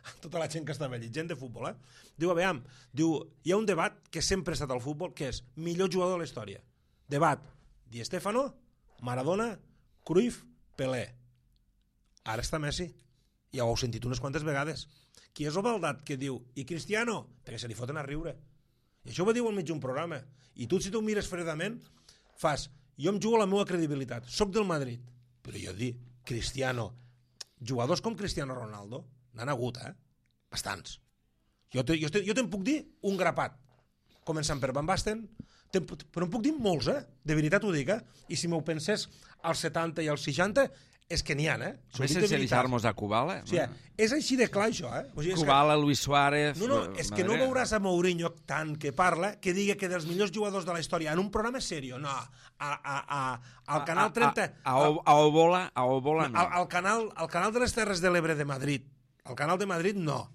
B: en tota la gent que estava allí, gent de futbol, eh? Diu, a veure, diu, hi ha un debat que sempre ha estat al futbol, que és millor jugador de la història. Debat, Di Stéfano, Maradona, Cruyff, Pelé. Ara està Messi. Ja ho heu sentit unes quantes vegades. Qui és el baldat que diu, i Cristiano? Perquè se li foten a riure. I això ho va dir al mig d'un programa. I tu, si tu mires fredament, fas... Jo em jugo la meva credibilitat, soc del Madrid, però jo dic, Cristiano, jugadors com Cristiano Ronaldo, n'han hagut, eh? Bastants. Jo, te, jo, te, jo te'n puc dir un grapat, començant per Van Basten, però en puc dir molts, eh? De veritat ho dic, eh? I si m'ho pensés als setanta i als seixanta, és que n'hi ha, eh?
A: A més, sense deixar-nos a Kubala.
B: O sigui, és així de clar, això, eh? O sigui,
A: Kubala, Luis Suárez...
B: No, no, és que no veuràs a Mourinho tant que parla que digui que dels millors jugadors de la història en un programa serio, no, a, a, a, al canal trenta...
A: A, a, a, a Obola, a Obola no.
B: Al, al, canal, al canal de les Terres de l'Ebre de Madrid, al canal de Madrid no.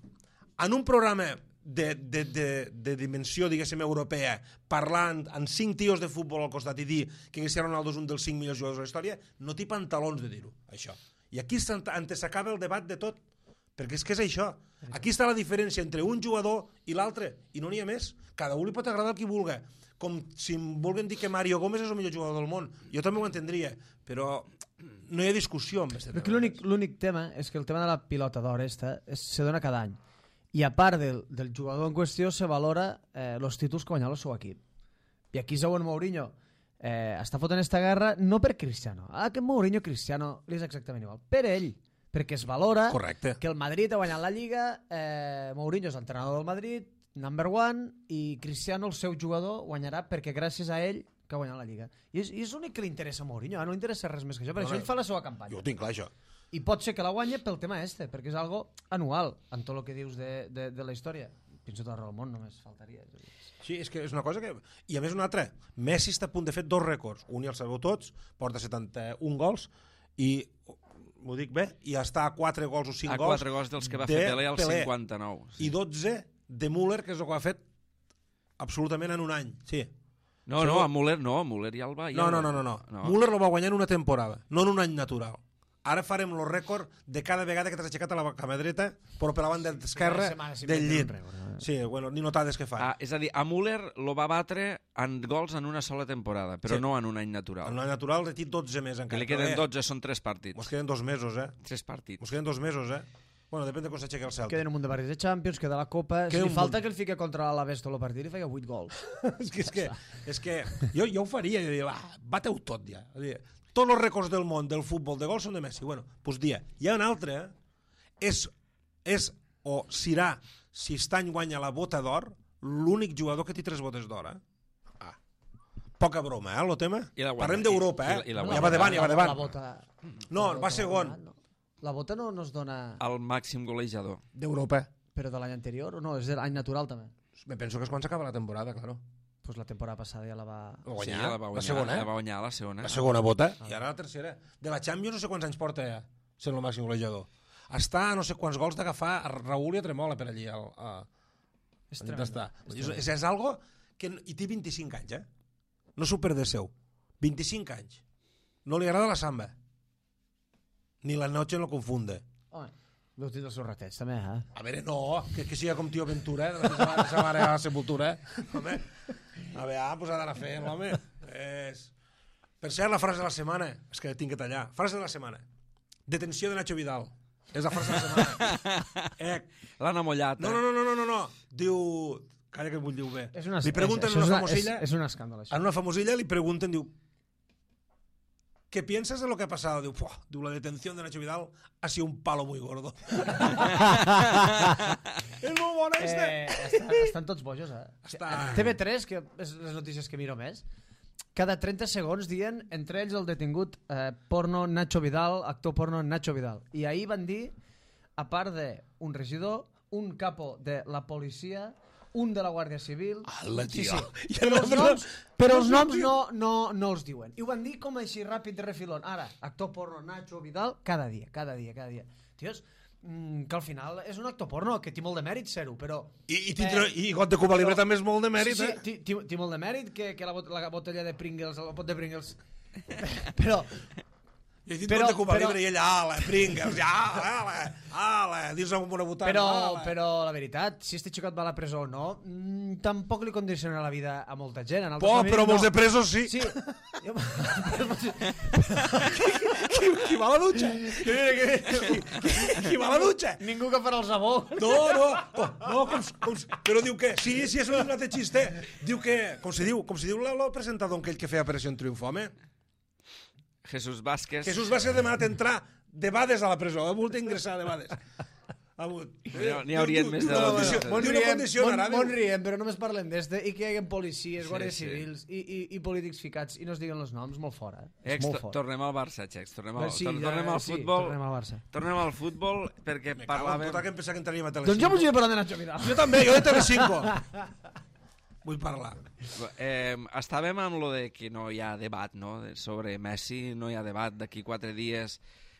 B: En un programa de, de, de, de dimensió, diguéssim, europea, parlant amb cinc tios de futbol al costat i dir que Cristiano Ronaldo és un dels cinc millors jugadors de la història, no té pantalons de dir-ho, això. I aquí s'acaba el debat de tot, perquè és que és això. Aquí està la diferència entre un jugador i l'altre, i no n'hi ha més. Cada un li pot agradar el que vulgui. Com si em vulguen dir que Mario Gómez és el millor jugador del món. Jo també ho entendria, però no hi ha discussió amb aquest tema.
C: L'únic tema és que el tema de la pilota d'or esta se dona cada any. I a part del, del jugador en qüestió se valora eh, els títols que guanyava el seu equip. I aquí segons Mourinho eh, està fotent esta guerra no per Cristiano. Ah, que Mourinho Cristiano li és exactament igual. Per ell, perquè es valora
B: Correcte.
C: Que el Madrid ha guanyat la Lliga, eh, Mourinho és l'entrenador del Madrid, number one, i Cristiano, el seu jugador, guanyarà perquè gràcies a ell que ha guanyat la Lliga. I és, i és l'únic que li interessa a Mourinho, eh? No li interessa res més que això, per no, això ell fa la seva campanya.
B: Jo ho tinc clar, això.
C: I pot ser que la guanya pel tema este, perquè és algo anual en tot el que dius de, de, de la història. Penso tot arreu del món, només faltaria.
B: Sí, és que és una cosa que... I a més una altra, Messi està a punt de fer dos rècords. Un ja el sabeu tots, porta setanta-un gols, i m'ho dic bé, i està a quatre gols o cinc
A: a
B: gols...
A: A quatre gols dels que va fer Pelé al cinquanta-nou.
B: Sí. I dotze de Müller, que és el que ha fet absolutament en un any. Sí.
A: No, no, a Müller no, a Müller ja el va... Ja
B: no, no, no, no, no, no. Müller lo va guanyar en una temporada, no en un any natural. Ara farem el rècord de cada vegada que t'has aixecat a la cama dreta, però per la banda esquerra del llit. Sí, bueno, ni notades que fa.
A: Ah, és a dir, a Müller lo va batre en gols en una sola temporada, però sí. No en un any natural.
B: En un any natural de dotze més encara.
A: Que li queden dotze, són tres partits.
B: Mos queden dos mesos, eh?
A: Tres partits.
B: Mos queden dos mesos, eh? Bueno, depèn de com s'aixequi el Celta.
C: Queden un munt de partits de Champions, queda la Copa... Si li falta que el fiqui contra l'Alaves tot el partit i feia vuit gols.
B: és que, és que, és que jo, jo ho faria, jo diria, va, bateu tot ja. Tots els rècords del món del futbol de gols són de Messi. Bueno, doncs dia. Hi ha un altre, eh? és, és o serà, si aquest any guanya la bota d'or, l'únic jugador que té tres botes d'or, eh? Ah. Poca broma, eh, el tema? Parlem d'Europa, eh? I, i la, ja va davant, ja va davant.
C: La bota...
B: No, va segon.
C: La bota no, no es dona...
A: El màxim golejador.
B: D'Europa.
C: Però de l'any anterior o no? És de l'any natural, també?
B: Me penso que és quan s'acaba la temporada, claro.
C: Pues la temporada passada ja la va...
B: Guanyar,
A: sí, ja la va guanyar,
B: la segona, eh?
A: La va guanyar la segona.
B: La segona bota, ah. I ara la tercera. De la Champions no sé quants anys porta ja, sent el màxim golejador. Està a no sé quants gols d'agafar a Raúl i a Tremola per allí. Al, a... És tremendo. És, és, és, és algo que... I té vint-i-cinc anys, eh? No s'ho perde seu. vint-i-cinc anys. No li agrada la samba. Ni la noche no confunde.
C: Home, deu tenir els seus ratets, també, eh?
B: A veure, no, que, que siga com tio Ventura, eh? De sa mare a la sepultura, eh? Home, a veure, pues ha d'anar fent, home. És... Per cert, la frase de la setmana, és que tinc que tallar. Frase de la setmana. Detenció de Nacho Vidal. És la frase de la setmana. Eh...
A: L'han amollat,
B: no,
A: eh?
B: No, no, no, no, no. Diu... Calla que vull dir-ho bé.
C: És una,
B: li pregunten
C: és,
B: una
C: és
B: famosilla...
C: És, és un escàndol, això.
B: En una famosilla li pregunten, diu... ¿Qué piensas de lo que ha pasado? Diu, diu, la detención de Nacho Vidal ha sido un palo muy gordo. És molt bona, este.
C: Eh, estan, estan tots bojos, eh? Està... T V tres, que és les notícies que miro més, cada trenta segons dient, entre ells el detingut eh, porno Nacho Vidal, actor porno Nacho Vidal. I ahir van dir, a part d'un regidor, un capo de la policia, un de la Guàrdia Civil...
B: Ala, tio!
C: Sí, sí. Però els noms, però els noms no, no, no els diuen. I ho van dir com així ràpid de refilón. Ara, actor porno Nacho Vidal, cada dia, cada dia, cada dia. Tios, mm, que al final és un actor porno, que té molt de mèrit ser-ho, però...
B: I, i, tindre, eh, i got de Cuba Libre però, també és molt de mèrit,
C: sí,
B: sí,
C: eh? Sí, té molt de mèrit que, que la, bot, la botella de Pringles, el pot de Pringles... però...
B: I he dit però, de Cuba però, Libre i ella, ala, Pringles, ja, ala, ala, dins amb una botana,
C: però,
B: ala.
C: Però la veritat, si este xicot va a la presó o no, mmm, tampoc li condiciona la vida a molta gent. En
B: oh, però molts no. de presos sí.
C: Sí.
B: qui, qui va a la dutxa? Qui, qui, qui va a la dutxa?
C: Ningú que farà el sabó.
B: No, no, oh, no com, com, però diu que, sí, sí, és un altre xiste. Diu que, com se diu, com se diu el presentador aquell que feia Operació Triunfo, home?
A: Jesús Vázquez.
B: Jesús Vázquez demanat entrar de vades a la presó, ha volgut ingressar de vades.
A: N'hi haurien més de dos.
C: Mon riem, mon, mon riem, però només parlem d'este i que hi hagi policies, sí, guàrdies sí. civils i, i, i polítics ficats i no es diguen els noms, molt fora. Eh?
A: Ex,
C: molt fort.
A: Tornem al Barça, Xecs. Tornem al,
C: sí,
A: tornem al
C: sí,
A: futbol.
C: Tornem al Barça.
A: Tornem al futbol perquè
B: Me
A: parlàvem...
B: cago en tota que em pensava que entraríem a Telecinco.
C: Doncs jo volia parlar de Nacho Vidal.
B: Jo també, jo de Telecinco. Vull parlar.
A: Eh, estàvem amb lo de que no hi ha debat, no? Sobre Messi, no hi ha debat. D'aquí quatre dies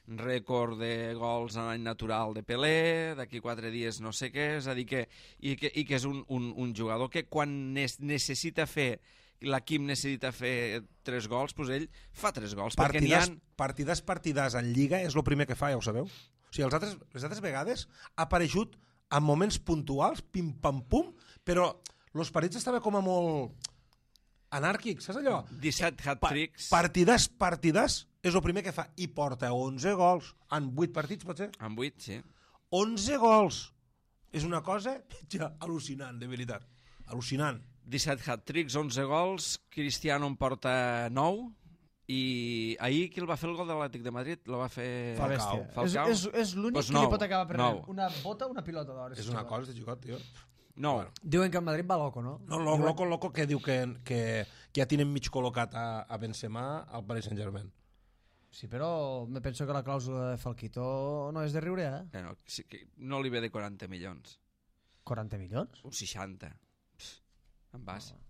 A: rècord de gols en any natural de Pelé, d'aquí quatre dies no sé què, és a dir que, i que, i que és un, un, un jugador que quan nes, necessita fer, l'equip necessita fer tres gols, doncs ell fa tres gols.
B: Partides,
A: han...
B: partides, partides en Lliga és el primer que fa, ja ho sabeu? O sigui, els altres, les altres vegades ha aparegut en moments puntuals, pim-pam-pum, però els partits estaven com a molt anàrquics, saps allò?
A: disset hat-tricks.
B: Pa partides, partides, és el primer que fa. I porta onze gols en vuit partits, pot ser?
A: En vuit, sí.
B: onze gols. És una cosa ja al·lucinant, de veritat. Al·lucinant.
A: disset hat-tricks, onze gols, Cristiano en porta nou, i ahir qui el va fer el gol de l'Atlètic de Madrid? El va fer...
B: Falcao.
A: Falcao.
C: És, és, és l'únic
A: pues
C: que
A: nou,
C: li pot acabar prenent.
A: nou.
C: Una bota o una pilota d'or.
B: És una cosa de xicot, tio.
A: No.
B: Bueno.
C: Diuen que el Madrid va loco, no?
B: No, lo, loco, loco que diu que, que, que ja tenen mig col·locat a, a Benzema al Paris Saint-Germain.
C: Sí, però me penso que la clàusula de Falquito no és de riure, eh?
A: Eh, no, sí, que no li ve de quaranta milions.
C: quaranta milions?
A: Un seixanta. Pff, en vas. No.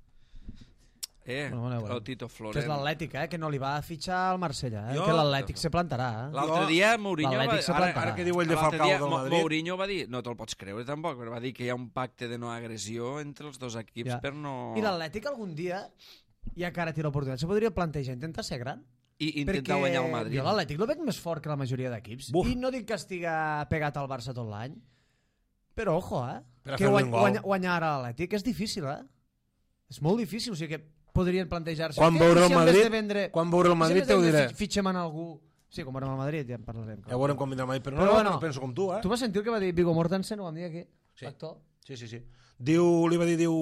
A: Eh,
C: bueno, bueno, bueno.
A: el Tito Florent.
C: Que és l'Atlètic, eh? Que no li va fitxar al Marsella, eh?
B: Jo...
C: Que l'Atlètic se plantarà, eh?
A: L'altre dia Mourinho va...
C: Ara,
B: ara que diu ell de Falcao del Madrid...
A: Mourinho va dir, no te'l pots creure tampoc, però va dir que hi ha un pacte de no agressió entre els dos equips
C: ja.
A: per no...
C: I l'Atlètic algun dia, ja que ara té l'oportunitat, se podria plantejar intentar ser gran?
A: I intentar guanyar el Madrid.
C: Jo l'Atlètic el veig més fort que la majoria d'equips. I no dic que estiga pegat al Barça tot l'any, però ojo, eh?
B: Per
C: que guany, guany, guanyar ara l'Atlètic és difícil, eh? És molt difícil, o sigui que podrien plantejar-se...
B: Quan veure el Madrid,
C: vendre,
B: quan veure el Madrid si te ho diré.
C: Fitxem en algú... Sí, com veurem el Madrid, ja en parlarem.
B: Ja veurem quan vindrà el Madrid, però, però no, bueno, no penso com tu, eh?
C: Tu vas sentir el que va dir Viggo Mortensen, ho vam dir aquí?
B: Sí.
C: L'actor?
B: Sí, sí, sí. Diu, li va dir, diu...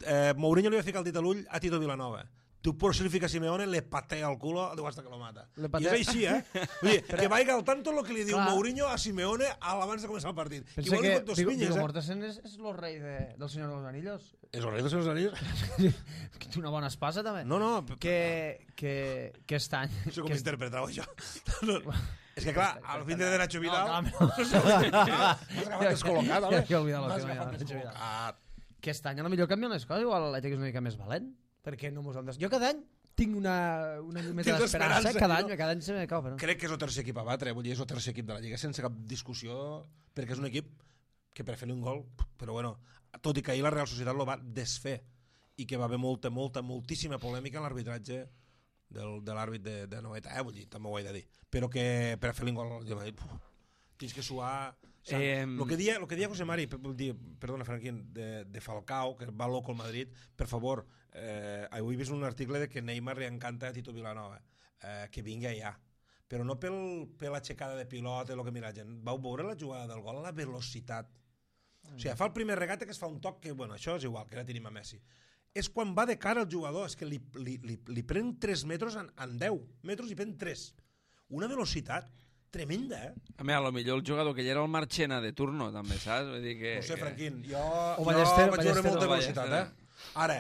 B: Eh, Mourinho li va ficar el dit a l'ull a Tito Vilanova. Tu por si li fica Simeone, le patea el culo, diu hasta que lo mata. I és així, eh? Vull dir, que vaiga al tanto lo que li diu Clar. Mourinho a Simeone abans de començar el partit.
C: Pensa que Viggo Viggo Mortensen és, és el rei de, del Senyor dels Anillos.
B: És el rei del Senyor dels Anillos?
C: Que té una bona espasa, també.
B: No, no.
C: Que, que, que està...
B: No sé com interpretar-ho, això. No, no. És que, clar, al fin de Nacho Vidal...
C: No,
B: Has agafat descol·locat, home.
C: Ja he oblidat
B: Has agafat descol·locat.
C: Que aquest any a la millor canvien les coses, igual l'Atlètic és una mica més valent. Perquè no mos hem des... Jo cada any tinc una, una llumeta d'esperança, cada any, cada any se me cau. Però...
B: Crec que és el tercer equip a batre, vull dir, és el tercer equip de la Lliga, sense cap discussió, perquè és un equip que per fer un gol, però bueno, tot i que ahir la Real Societat lo va desfer, i que va haver molta, molta, moltíssima polèmica en l'arbitratge del, de l'àrbit de, de Noeta, eh, vull dir, també ho he de dir, però que per fer un gol, jo m'he dit, tens que suar... O sea, eh... lo que dia, lo que dia José Mari, dir, perdona Franquín, de, de Falcao, que va loco al Madrid, per favor, eh, avui he vist un article de que Neymar li encanta a Tito Vilanova, eh, que vingui allà, però no pel, per l'aixecada de pilota, el que mira gent. Vau veure la jugada del gol, la velocitat. Mm. O sigui, fa el primer regate que es fa un toc que, bueno, això és igual, que ara tenim a Messi. És quan va de cara al jugador, és que li, li, li, li pren tres metres en, en deu metres i pren tres. Una velocitat tremenda, eh?
A: A mi, a lo millor el jugador que ja era el Marchena de turno, també, saps? Vull dir que...
B: No sé,
A: que...
B: Franquín, jo,
C: o
B: jo
C: Ballester,
B: vaig veure molta velocitat,
A: Ballester.
B: eh? Ara,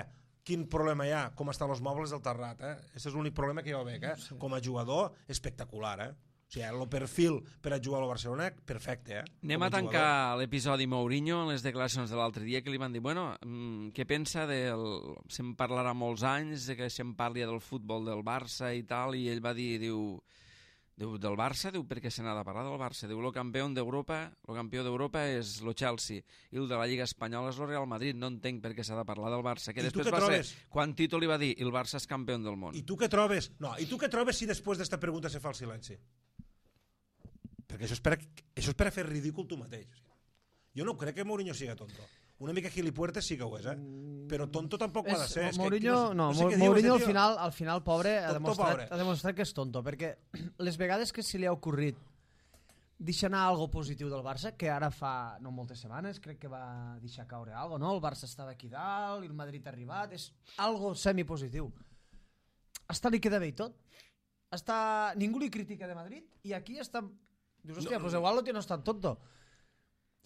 B: quin problema hi ha? Com estan els mobles del terrat, eh? Aquest és l'únic problema que jo veig, eh? Sí. Com a jugador, espectacular, eh? O sigui, el perfil per a jugar a Barcelona, perfecte, eh?
A: Anem
B: Com
A: a tancar l'episodi Mourinho en les declaracions de l'altre dia que li van dir, bueno, mmm, què pensa del... Se'n parlarà molts anys, de que se'n parli del futbol del Barça i tal, i ell va dir, diu... Diu, del Barça, diu, perquè se n'ha de parlar del Barça. Diu, el campió d'Europa, el campió d'Europa és el Chelsea i el de la Lliga Espanyola és el Real Madrid. No entenc per què s'ha de parlar del Barça. Que
B: I
A: després va
B: trobes?
A: ser, quan Tito li va dir, el Barça és campió del món.
B: I tu què trobes? No, i tu què trobes si després d'esta pregunta se fa el silenci? Perquè això és per a, això és per a fer ridícul tu mateix. Jo no crec que Mourinho siga tonto. Una mica gilipuertes sí que ho és, eh? Però tonto tampoc ho ha de ser. És
C: Mourinho,
B: que,
C: no, no, no Mourinho al final, al final, pobre, ha demostrat, pobre. ha demostrat que és tonto, perquè les vegades que se li ha ocorrit deixar anar algo positiu del Barça, que ara fa no moltes setmanes, crec que va deixar caure algo, no? El Barça estava aquí dalt, i el Madrid ha arribat, és algo semipositiu. Hasta li queda bé i tot. Hasta... Ningú li critica de Madrid, i aquí està... Dius, hòstia, no, pues igual lo tiene no és tan tonto.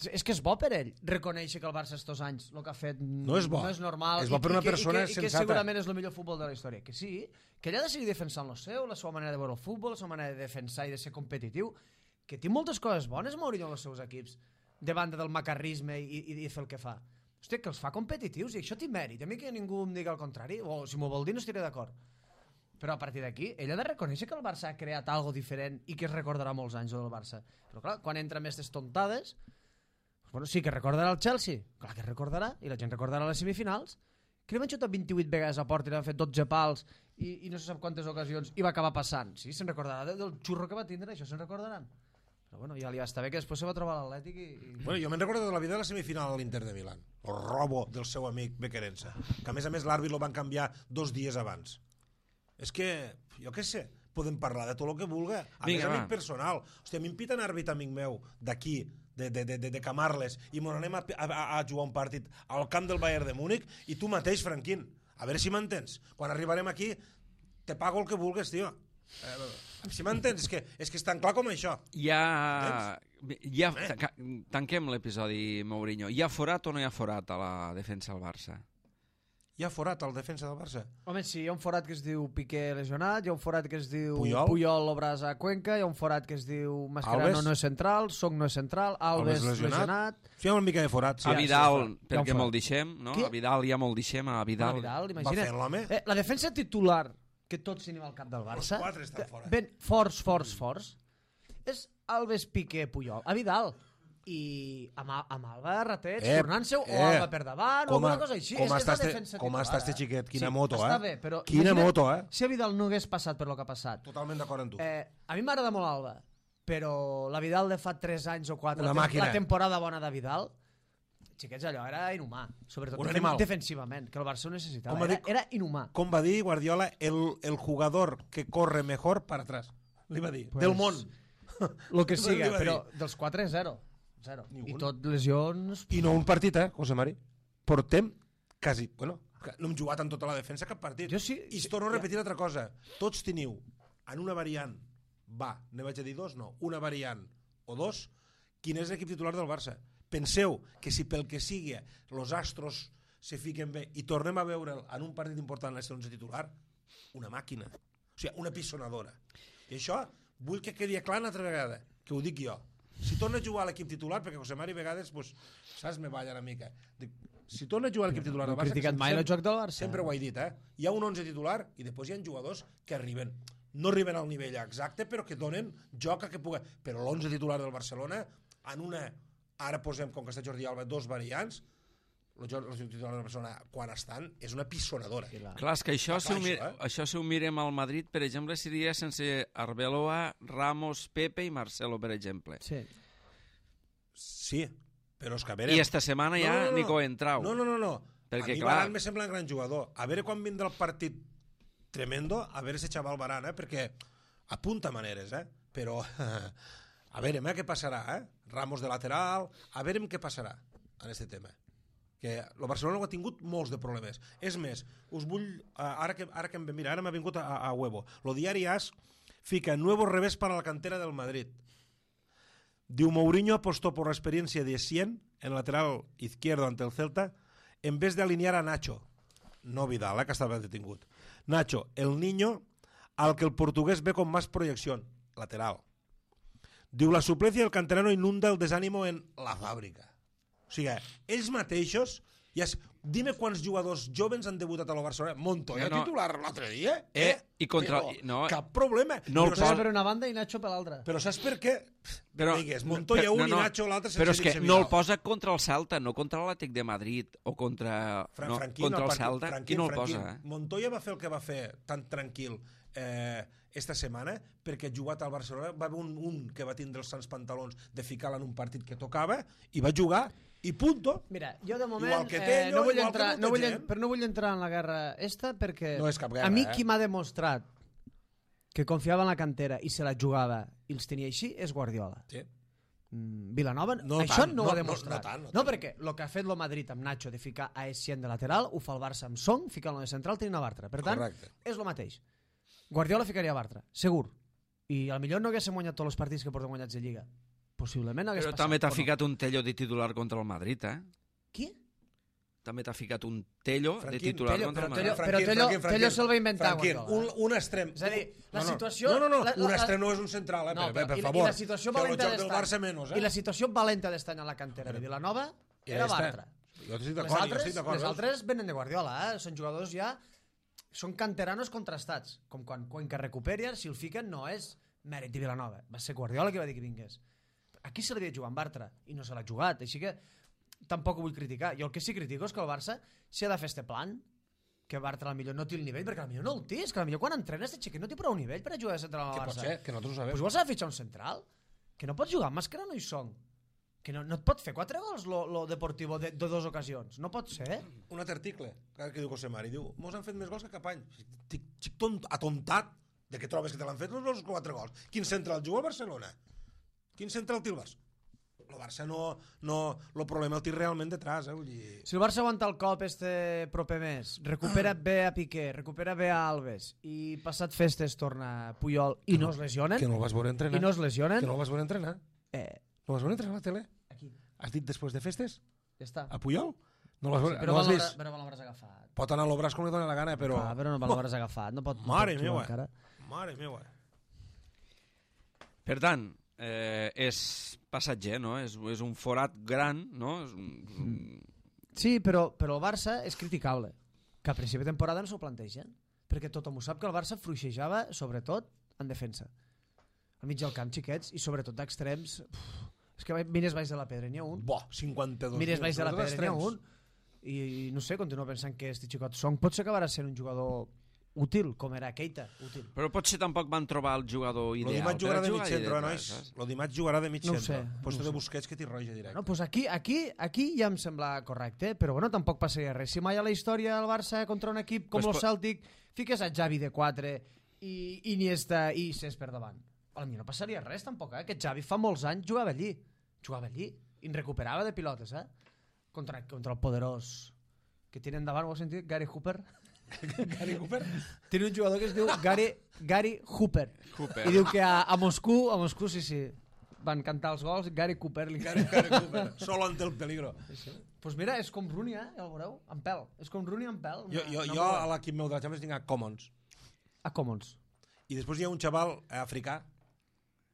C: És que és bo per ell reconèixer que el Barça estos anys el que ha fet
B: no és, bo.
C: no és normal.
B: És bo per una
C: i que,
B: persona
C: i que, i que
B: sensata.
C: segurament és el millor futbol de la història. Que sí, que ella ha de seguir defensant el seu, la seva manera de veure el futbol, la seva manera de defensar i de ser competitiu, que té moltes coses bones Mourinho en els seus equips, de banda del macarrisme i, i, i fer el que fa. Hòstia, que els fa competitius i això té mèrit. A mi que ningú em digui el contrari, o si m'ho vol dir no estiré d'acord. Però a partir d'aquí, ell ha de reconèixer que el Barça ha creat algo diferent i que es recordarà molts anys del Barça. Però clar, quan entra més aquestes tontades, bueno, sí que recordarà el Chelsea, clar que recordarà, i la gent recordarà les semifinals, que li van xutar vint-i-vuit vegades a porta i li van fet dotze pals i, i no se sap quantes ocasions i va acabar passant. Sí, se'n recordarà del, del xurro que va tindre, això se'n recordaran. Però bueno, ja li va estar bé que després se va trobar l'Atlètic i... i...
B: Bueno, jo me'n recordo de la vida de la semifinal a l'Inter de Milán, el robo del seu amic Becquerense, que a més a més l'àrbit lo van canviar dos dies abans. És que, jo què sé, podem parlar de tot el que vulga. A Vinga, més, amic va. Personal. Hòstia, a mi em pita un àrbit amic meu d'aquí, de, de, de, de Camarles, i m'on anem a, a, a jugar un partit al camp del Bayern de Múnich, i tu mateix, Franquín, a veure si m'entens. Quan arribarem aquí, te pago el que vulgues, tio. Eh, si m'entens, és que, és que és tan clar com això.
A: Ja, ja eh? Tanquem l'episodi, Mourinho. Hi ha forat o no hi ha forat a la defensa del Barça?
B: Hi ha forat al defensa del Barça?
C: Home, sí, hi ha un forat que es diu Piqué lesionat, hi ha un forat que es diu
B: Puyol,
C: Puyol Obras a Cuenca, hi ha un forat que es diu Mascherano
B: Alves.
C: no és central, Song no és central, Alves,
B: Alves
C: lesionat.
B: lesionat. Sí, hi ha una mica de forat. Sí,
A: a Vidal,
B: sí,
A: perquè molt deixem, no?
C: Qui?
A: A Vidal ja molt deixem, a Vidal.
C: A Vidal,
B: Va
C: imagina.
B: fer l'home.
C: Eh, la defensa titular que tots tenim al cap del Barça,
B: Els quatre estan fora.
C: ben forts, forts, forts, és Alves, Piqué, Puyol. A Vidal. I amb, amb Alba Rateig
B: Eh,
C: tornant-seu
B: eh,
C: o Alba per davant o
B: com a-
C: alguna cosa així.
B: com
C: És, és
B: està
C: la
B: este-
C: defensa
B: com
C: titular,
B: està este
C: eh?
B: xiquet, quina
C: sí,
B: moto,
C: està
B: eh?
C: Bé, però
B: Quina
C: imagina't
B: moto, eh?
C: Si a Vidal no hagués passat per lo que ha passat.
B: Totalment d'acord amb tu.
C: Eh, a mi m'agrada molt Alba, però la Vidal de fa tres anys o quatre,
B: Una
C: la, tem
B: màquina.
C: la temporada bona de Vidal, xiquets, allò era inhumà, sobretot
B: Un
C: defen
B: animal.
C: defensivament, que el Barça ho necessitava.
B: Com va
C: Era,
B: dir-
C: era inhumà.
B: Com va dir Guardiola, el, el jugador que corre mejor para atrás. Li va dir.
C: Pues,
B: Del món.
C: Lo que
B: Li
C: siga,
B: va dir.
C: però dels quatre, zero. zero.
B: Ni
C: I
B: un.
C: tot lesions...
B: I no un partit, eh, José Mari? Portem quasi... Bueno, no hem jugat en tota la defensa cap partit.
C: Jo sí-
B: I es torno a repetir altra cosa. Tots teniu en una variant, va, ne vaig a dir dos, no, una variant o dos, quin és l'equip titular del Barça. Penseu que si pel que sigui los astros se fiquen bé i tornem a veure'l en un partit important a l'onze titular, una màquina. O sigui, una pisonadora. I això vull que quedi clar una altra vegada, que ho dic jo. Si torna a jugar a l'equip titular, perquè José Mari a vegades, pues, saps, me balla una mica. Dic, si torna a jugar a l'equip titular
C: No
B: del
C: he
B: Barça...
C: criticat
B: sempre-
C: mai el joc del Barça.
B: Sempre ho he dit, eh? Hi ha un onze titular i després hi ha jugadors que arriben, no arriben al nivell exacte, però que donen joc a que pugui... Però l'onze titular del Barcelona, en una... Ara posem, com que està Jordi Alba, dos variants, l'onze titular del Barcelona, quan estan, és una pisonadora.
C: Sí, clar.
A: Clar, és que això,
B: Clar,
A: si ho, mir
B: això, eh?
A: això si ho mirem al Madrid, per exemple, seria sense Arbeloa, Ramos, Pepe i Marcelo, per exemple.
C: Sí.
B: Sí, però és que a veure...
A: I esta setmana ja Nico Entrau.
B: No, no, no, no.
A: Perquè,
B: a mi
A: clar-
B: Varane me sembla un gran jugador. A veure quan vindrà el partit tremendo, a veure si xaval Varane, eh? Perquè apunta maneres, eh? Però a veure eh? què passarà, eh? Ramos de lateral, a veure què passarà en aquest tema. Que el Barcelona ho ha tingut molts de problemes. És més, us vull... Ara que, ara que em ve, mira, ara m'ha vingut a, a Huevo. Lo diari AS fica nuevo revés para la cantera del Madrid. Diu, Mourinho apostó por la experiencia de Essien en lateral izquierdo ante el Celta en vez de alinear a Nacho. No Vidal, eh, que estava detingut. Nacho, el niño al que el portugués ve con más proyección. Lateral. Diu, la suplencia del canterano inunda el desánimo en la fàbrica. O sigui, ells mateixos... Ja es... Dime quants jugadors joves han debutat a la Barcelona. Montoya
A: No, no.
B: titular l'altre dia.
A: Eh, i contra-
B: Però
A: no.
B: cap problema.
A: No el
B: però,
A: posa-
B: saps,
C: Per una banda i Nacho per l'altra.
B: però saps per què?
A: Però,
B: Digues, Montoya
A: però-
B: un
A: no,
B: i
A: no,
B: Nacho l'altre
A: però és
B: sense
A: que
B: dir-se
A: no el
B: Vidal.
A: posa contra el Celta, no contra l'Atlètic de Madrid o contra,
B: Fra-
A: no,
B: Franquín,
A: contra el
B: partit-
A: Celta.
B: Franquín,
A: Qui no el
B: Franquín.
A: posa? Eh?
B: Montoya va fer el que va fer tan tranquil eh, esta setmana perquè jugat al Barcelona va haver un, un que va tindre els sants pantalons de ficar-la en un partit que tocava i va jugar i punto.
C: Mira, jo de moment
B: Igual que
C: eh,
B: Tello,
C: no vull
B: igual que
C: entrar,
B: molta
C: no vull,
B: gent.
C: en- però no vull entrar en la guerra esta perquè
B: No és cap guerra,
C: a mi
B: eh?
C: qui m'ha demostrat que confiava en la cantera i se la jugava i els tenia així és Guardiola.
B: Sí.
C: Mm, Vilanova,
B: No
C: això
B: tant,
C: no, ho
B: no-
C: ha
B: no-
C: demostrat.
B: no tant, no
C: no,
B: tant.
C: perquè el que ha fet el Madrid amb Nacho de ficar a Essien de lateral ho fa el Barça amb Song, ficant-lo de central tenint a Bartra. Per tant,
B: Correcte.
C: és el mateix. Guardiola ficaria a Bartra, segur. I a lo millor no haguéssim guanyat tots els partits que portem guanyats de Lliga. possiblement hagués
A: Però
C: passat.
A: també t'ha
C: o no.
A: ficat un Tello de titular contra el Madrid, eh?
C: Qui?
A: També t'ha ficat un Tello de
B: Franquín,
A: titular
C: Tello,
A: contra el
C: però
A: Madrid.
C: Tello- però Tello- Tello se'l va inventar,
B: Franquín,
C: Guardiola.
B: un, un extrem.
C: És a dir, la
B: no, no,
C: situació-
B: No, no, no,
C: la- la-
B: un
C: la-
B: extrem no és un central, eh?
C: No,
B: per,
C: però,
B: per
C: i,
B: favor.
C: I la situació
B: que el
C: valenta
B: joc del
C: d'estany.
B: Barça menys, eh?
C: I la situació valenta d'estany a la cantera de Vilanova era
B: esta.
C: Bartra.
B: Jo estic
C: Les
B: d'acord, jo
C: altres,
B: estic d'acord.
C: les
B: veus?
C: altres venen de Guardiola, eh? Són jugadors ja... Són canteranos contrastats. Com quan, quan que recuperen, si el fiquen, no és mèrit de Vilanova. Va ser Guardiola que va dir que vingués. Aquí se l'havia de jugar en Bartra i no se l'ha jugat, així que tampoc ho vull criticar. Jo el que sí critico és que el Barça s'ha de fer este plan, que Bartra potser no té el nivell, perquè potser no el té, és que potser quan entrena este xiquet no té prou nivell per a jugar de central al
B: Que
C: Barça.
B: pot ser, que nosaltres ho sabem.
C: Pues igual s'ha de fitxar un central, que no pots jugar amb màscara no hi són, que no, no et pot fer quatre gols lo, lo Deportivo de, de dos ocasions, no pot ser.
B: Un altre article que diu José Mari, diu, mos han fet més gols que cap any. Estic, estic tont, atontat de que trobes que te l'han fet els quatre gols. Quin central juga al Barcelona? Quin central té el Barça? El Barça no... no el problema el té realment detrás, eh? Vull dir...
C: Si el Barça aguanta el cop este proper mes, recupera bé a Piqué, recupera bé a Alves i passat festes torna Puyol i no es lesionen,
B: Que no el vas veure entrenar.
C: i no es lesionen,
B: Que no el vas veure entrenar.
C: eh,
B: No el vas veure entrenar a la tele?
C: aquí,
B: Has dit després de festes?
C: ja està.
B: A Puyol? No l'has
C: Sí,
B: veure,
C: però
B: no l'has
C: me'l
B: vist?
C: però me l'hauràs agafat.
B: Pot anar a l'Obràs com li dóna la gana, però...
C: Ah, però no me l'hauràs agafat, no pot, no
B: Mare
C: pot jugar
B: meva.
C: encara.
B: Mare meva.
A: Per tant, eh, és passatger, no? És, és un forat gran, no? És un, un...
C: Sí, però, però el Barça és criticable, que a principi de temporada no s'ho plantegen, perquè tothom ho sap que el Barça fluixejava, sobretot, en defensa. Al mig del camp, xiquets, i sobretot d'extrems... uf, És que mires baix de la pedra, n'hi ha un.
B: Bo, cinquanta-dos.
C: Mires baix de la
B: Sobretot
C: pedra, n'hi ha
B: extrems.
C: un. I, i no sé, continuo pensant que este xicot Song potser acabarà sent un jugador útil, com era Keita, útil.
A: Però potser tampoc van trobar el jugador
B: Lo
A: ideal.
B: dimarts
A: per
B: jugarà
A: a
B: de
A: jugar
B: mig
A: allà
B: centre, eh,
A: detrás,
B: nois.
A: saps?
B: Lo dimarts jugarà de mig
C: No ho
B: centre.
C: sé,
B: Puesto
C: no ho
B: de
C: sé.
B: Busquets que t'hi roja directe.
C: No, pues aquí, aquí, aquí ja em sembla correcte, però bueno, tampoc passaria res. Si mai a la història el Barça contra un equip com
A: Pues
C: el
A: po-
C: Celtic fiques a Xavi de quatre i Iniesta i Cés per davant. A mi no passaria res tampoc, eh? Aquest Xavi fa molts anys jugava allí. Jugava allí. I en recuperava de pilotes, eh? Contra, contra el poderós que tiene endavant, ho has sentit? Gary Hooper.
B: Gary Cooper?
C: Tiene un jugador que es diu Gary, Gary Hooper.
A: Hooper.
C: I diu que a, a Moscou, a Moscou sí, sí, van cantar els gols, Gary Cooper. Li...
B: Gary, Gary Cooper. Solo ante el peligro.
C: Pues mira, és com Rooney, eh? Ja el veureu? En pèl. És com Rooney en pèl.
B: Jo, jo,
C: Una-
B: jo
C: una
B: a l'equip meu de la Champions tinc a Commons.
C: A Commons.
B: I després hi ha un xaval eh, africà,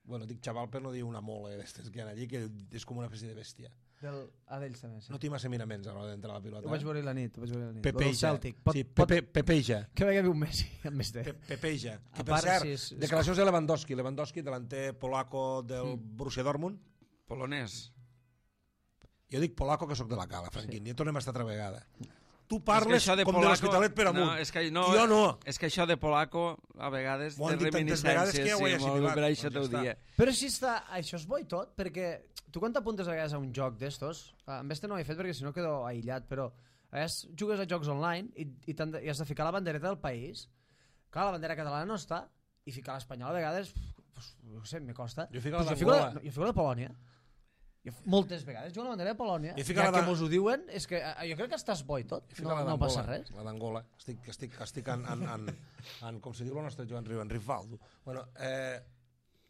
B: bueno, dic xaval per no dir una mole d'estes que hi ha allí, que és com una espècie de bèstia.
C: Del... A d'ells també, sí.
B: No té massa miraments a l'hora d'entrar a la pilota.
C: Ho vaig
B: eh?
C: veure la nit, ho vaig veure la nit. Lo del
B: Pepeja.
C: Celtic. Pot,
B: Sí,
C: pot...
B: Pepe, Pepeja.
C: Que vegi un Messi, en més de...
B: Pe Pepeja. Que
C: A
B: per
C: part,
B: cert,
C: sí, és- és-
B: declaracions de Lewandowski. Lewandowski, delanter polaco del
C: Mm.
B: Borussia Dortmund.
A: Polonès.
B: Jo dic polaco que sóc de la cala, Franquín. Sí. Ja tornem a estar altra vegada. Tu
A: És que
B: parles
A: això de
B: com de
A: polaco-
B: l'Hospitalet per amunt.
A: No, és que, no,
B: jo no.
A: És que això de polaco, a vegades,
B: M'ho han
A: té
B: dit tantes vegades
A: reminiscències.
B: que ja ho he
A: sí, molt
B: assimilat.
A: per això
B: Doncs
A: t'ho
B: ja està.
A: dia.
C: Però si està... Això és bo i tot, perquè tu quan t'apuntes a vegades a un joc d'estos, amb este no ho he fet perquè si no quedo aïllat, però a vegades jugues a jocs online i, i, de, i has de ficar la bandereta del país. Clar, la bandera catalana no està, i ficar l'espanyola a vegades, pues, no sé, me costa.
B: Jo fico la
C: Pues jo, fico la,
B: d'Angola.
C: no, jo fico la de Polònia. Jo, moltes vegades jugo a la bandera de Polònia.
B: Jo
C: Ja
B: fico la
C: que
B: de-
C: mos ho diuen, és que eh, jo crec que estàs bo i tot.
B: Fica
C: No,
B: la
C: no
B: d'Angola,
C: passa res.
B: La d'Angola. Estic, estic, estic en, en, en, en, com se diu el nostre Joan Riu, en Rifaldo. Bueno, eh,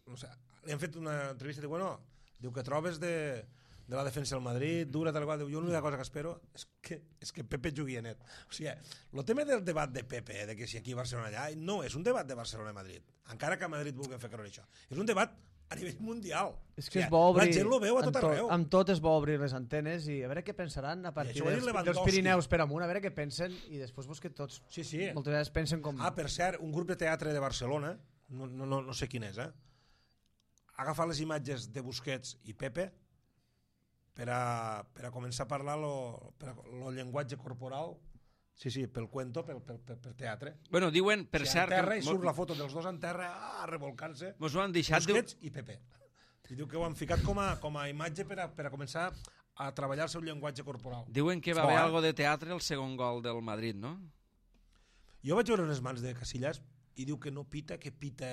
B: no sé, li han fet una entrevista i diu, bueno, diu que trobes de, de la defensa del Madrid, dura, tal qual. Diu, jo l'única cosa que espero és que, és que Pepe jugui a net. O sigui, el tema del debat de Pepe, de que si aquí Barcelona allà, no és un debat de Barcelona i Madrid, encara que a Madrid vulguin fer creure això. És un debat a nivell mundial.
C: És que
B: O
C: és
B: sigui,
C: bo obrir...
B: La gent lo veu a
C: amb
B: tot arreu.
C: Amb tot és bo obrir les antenes i a veure què pensaran a partir
B: això ho ha dit
C: dels, dels
B: Lewandowski.
C: Pirineus per amunt, a veure què pensen i després vos que tots
B: Sí, sí.
C: moltes vegades pensen com...
B: Ah, per cert, un grup de teatre de Barcelona, no, no, no, no sé quin és, eh? ha agafat les imatges de Busquets i Pepe per a, per a començar a parlar lo, per a, lo llenguatge corporal. Sí, sí, pel cuento, pel, pel, pel, pel teatre.
A: Bueno, diuen, per
B: Si
A: cert...
B: en terra
A: que
B: i surt la foto dels dos en terra, ah, revolcant-se.
A: Mos ho han deixat... Diu,
B: Busquets i Pepe. I diu que ho han ficat com a, com a imatge per a, per a començar a treballar el seu llenguatge corporal.
A: diuen que va
B: És bo,
A: haver
B: eh?
A: algo de teatre el segon gol del Madrid, no?
B: Jo vaig veure unes mans de Casillas i diu que no pita, que pita...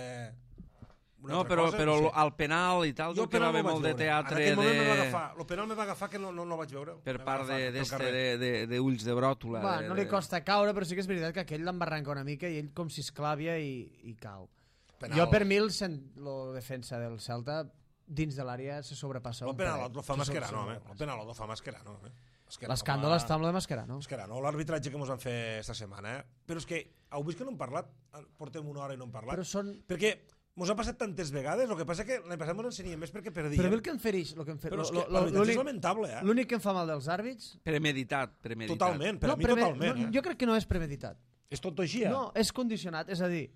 B: una
A: No,
B: altra
A: però,
B: cosa,
A: però
B: no sé.
A: al penal i tal, diu que va
B: penal no
A: haver
B: vaig
A: molt de
B: veure.
A: teatre
B: En aquell moment me va
A: de...
B: agafar, el penal me va agafar que no, no, no vaig veure.
A: per
B: Me va
A: part
B: agafar
A: de-
B: pel
A: d'este
B: carrer.
A: de, de, de ulls de bròtula.
C: Va,
A: de,
C: no li
A: de-
C: costa caure, però sí que és veritat que aquell l'embarranca una mica i ell com si esclàvia i, i cau.
B: Penal.
C: Jo per mi el, cent, lo defensa del Celta dins de l'àrea se sobrepassa.
B: El penal el fa Mascherano, home. El penal el fa Mascherano, eh?
C: L'escàndol està amb la Mascherano.
B: Mascherano, l'arbitratge que ens van fer esta setmana, eh? Però és que, heu vist que no hem parlat? Portem una hora i no hem parlat.
C: Però són...
B: Perquè mos ha passat tantes vegades, el que passa que l'any passat mos ensenyem més perquè perdíem.
C: Però a mi el que em fereix... Lo que em fer...
B: Però és que l'arbitratge és lamentable, eh?
C: L'únic que em fa mal dels àrbits...
A: Premeditat, premeditat.
B: Totalment, per
C: no,
B: a mi
C: preme...
B: totalment.
C: No,
B: eh?
C: jo crec que no és premeditat.
B: És tot així, eh?
C: No, és condicionat, és a dir,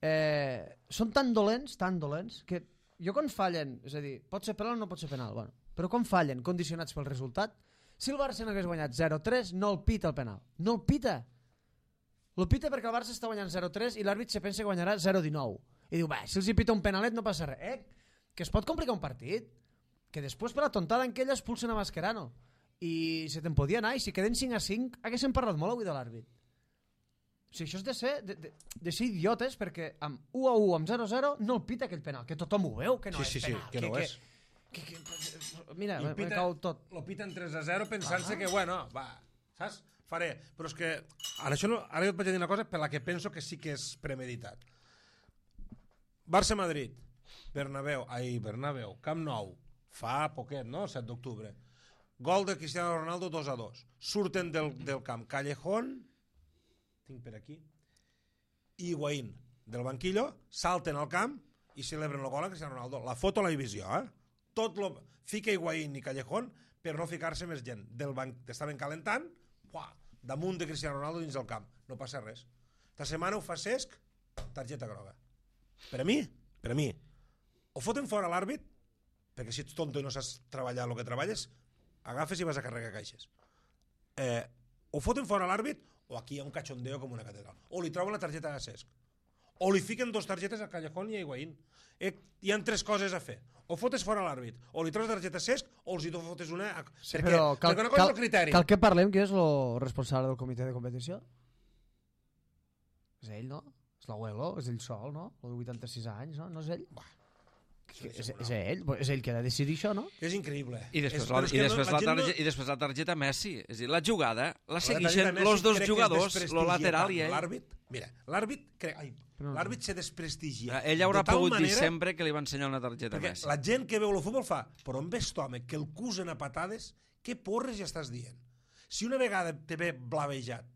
C: eh, són tan dolents, tan dolents, que jo quan fallen, és a dir, pot ser penal o no pot ser penal, bueno, però quan fallen condicionats pel resultat, si el Barça no hagués guanyat zero tres, no el pita el penal. No el pita. El pita perquè el Barça està guanyant zero tres i l'àrbit se pensa que guanyarà zero dinou. I diu, va, si els hi pita un penalet no passa res. Eh? Que es pot complicar un partit. Que després per la tontada en què ella expulsen a Mascherano. I se te'n podia anar, i si queden cinc a cinc haguéssim parlat molt avui de l'àrbit. O sigui, això és de ser, de, de, de ser idiotes, perquè amb u a u, amb zero a zero, no el pita aquell penal, que tothom ho veu, que no
B: sí,
C: és
B: sí,
C: penal.
B: Sí, que no
C: que,
B: és.
C: Que, que, que, mira, me, me cau tot.
B: Lo piten tres a zero pensant-se que, bueno, va, saps? Faré. Però és que, ara, això no, ara jo et vaig dir una cosa per la que penso que sí que és premeditat. Barça-Madrid, Bernabéu, ai, Bernabéu, Camp Nou, fa poquet, no?, set d'octubre. Gol de Cristiano Ronaldo dos a dos. Surten del, del camp Callejón, tinc per aquí, i Higuaín del banquillo, salten al camp i celebren el gol a Cristiano Ronaldo. La foto a la divisió, eh? Tot lo... Fica Higuaín i Callejón per no ficar-se més gent. Del banc... Estaven calentant, uah, damunt de Cristiano Ronaldo dins del camp. No passa res. Esta setmana ho fa Cesc, targeta groga. Per a mi, per a mi, o foten fora l'àrbit, perquè si ets tonto i no saps treballar el que treballes, agafes i vas a carregar caixes. Eh, o foten fora l'àrbit, o aquí hi ha un cachondeo com una catedral. O li troben la targeta a Cesc. O li fiquen dos targetes a Callejón i a Higuaín. Eh, hi ha tres coses a fer. O fotes fora l'àrbit, o li trobes la targeta a Cesc, o els hi fotes una... A...
C: Sí,
B: perquè,
C: però cal,
B: perquè una cosa
C: cal,
B: és el criteri.
C: Cal que parlem qui és el responsable del comitè de competició? És ell, no? És l'abuelo, és ell sol, no? El de vuitanta-sis anys, no? No és ell? Bah. Que, és, és ell, és ell que ha de decidir això, no?
B: És increïble.
A: I després,
B: és,
A: la, i, després
B: no,
A: la
B: la
A: targeta,
B: no...
A: i després la targeta Messi. És a dir, la jugada la
B: la
A: segueixen els dos jugadors, lo lateral i ell.
B: L'àrbit, mira, l'àrbit crec, ai, l'àrbit se desprestigia.
A: Ell haurà
B: de tal
A: pogut
B: manera,
A: dir sempre que li va ensenyar una targeta
B: perquè
A: Messi.
B: La gent que veu el futbol fa, però on ves tu, home, que el cusen a patades, què porres ja estàs dient? Si una vegada te ve blavejat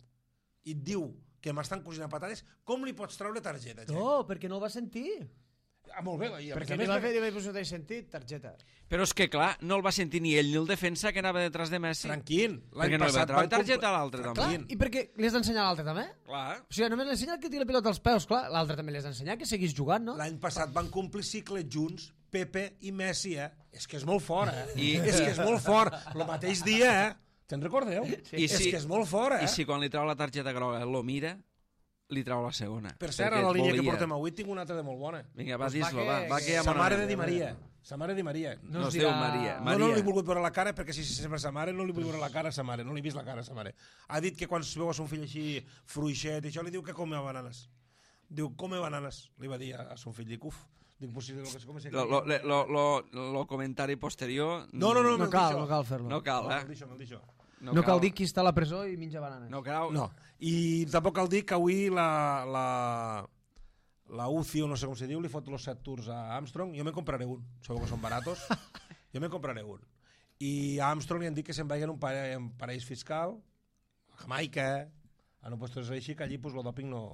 B: i et diu que m'estan cosint a patades, com li pots treure targeta? Gent?
C: No, perquè no el va sentir.
B: Ah, molt bé. I
C: perquè li va fer, li va posar de sentit, targeta.
A: Però és que, clar, no el va sentir ni ell ni el defensa que anava detrás de Messi.
B: Tranquil.
A: Perquè no li va treure targeta a l'altre, també.
C: Clar, i perquè li has d'ensenyar a l'altre, també?
A: Clar.
C: O sigui, només l'ensenya el que tira la pilota als peus, clar. L'altre també li has d'ensenyar que seguís jugant, no?
B: L'any passat van complir cicle junts, Pepe i Messi, eh? És que és molt fort, eh?
A: I...
B: És que és molt fort. El mateix dia, eh? Te'n recordeu?
A: Sí. I
B: és
A: si,
B: que és molt fort, eh?
A: I si quan li trau la targeta groga lo mira, li trau la segona.
B: Per cert, a la línia volia. que portem avui tinc una altra de molt bona.
A: Vinga, va,
C: pues
A: dis-lo,
C: va,
A: va, va, que ja
B: sa mare de Di Maria. Sa mare de Di Maria.
A: No, no es diu Maria.
B: No, no li he volgut veure la cara, perquè si sempre sa mare, no li vull veure la cara a sa mare. No li he vist la cara a sa mare. Ha dit que quan es veu a son fill així fruixet, i això li diu que come bananes. Diu, come bananes, li va dir a son fill. Dic, uf, dic, pues si lo que se come se
A: lo, lo, lo, lo, lo comentari posterior...
B: No, no, no,
C: no cal, no cal fer-lo.
A: No cal, eh?
B: No, me'l deixo, me'l deixo.
C: No, no cal dir qui està a la presó i menja bananes.
A: No cal.
B: No. I tampoc cal dir que avui la, la, la U C I, o no sé com se diu, li fot los set tours a Armstrong. Jo me'n compraré un. Sabeu que són baratos? Jo me'n compraré un. I a Armstrong li han dit que se'n vagi en un parell, en parell fiscal, a Jamaica, a no puestos així, que allí pues, el doping no,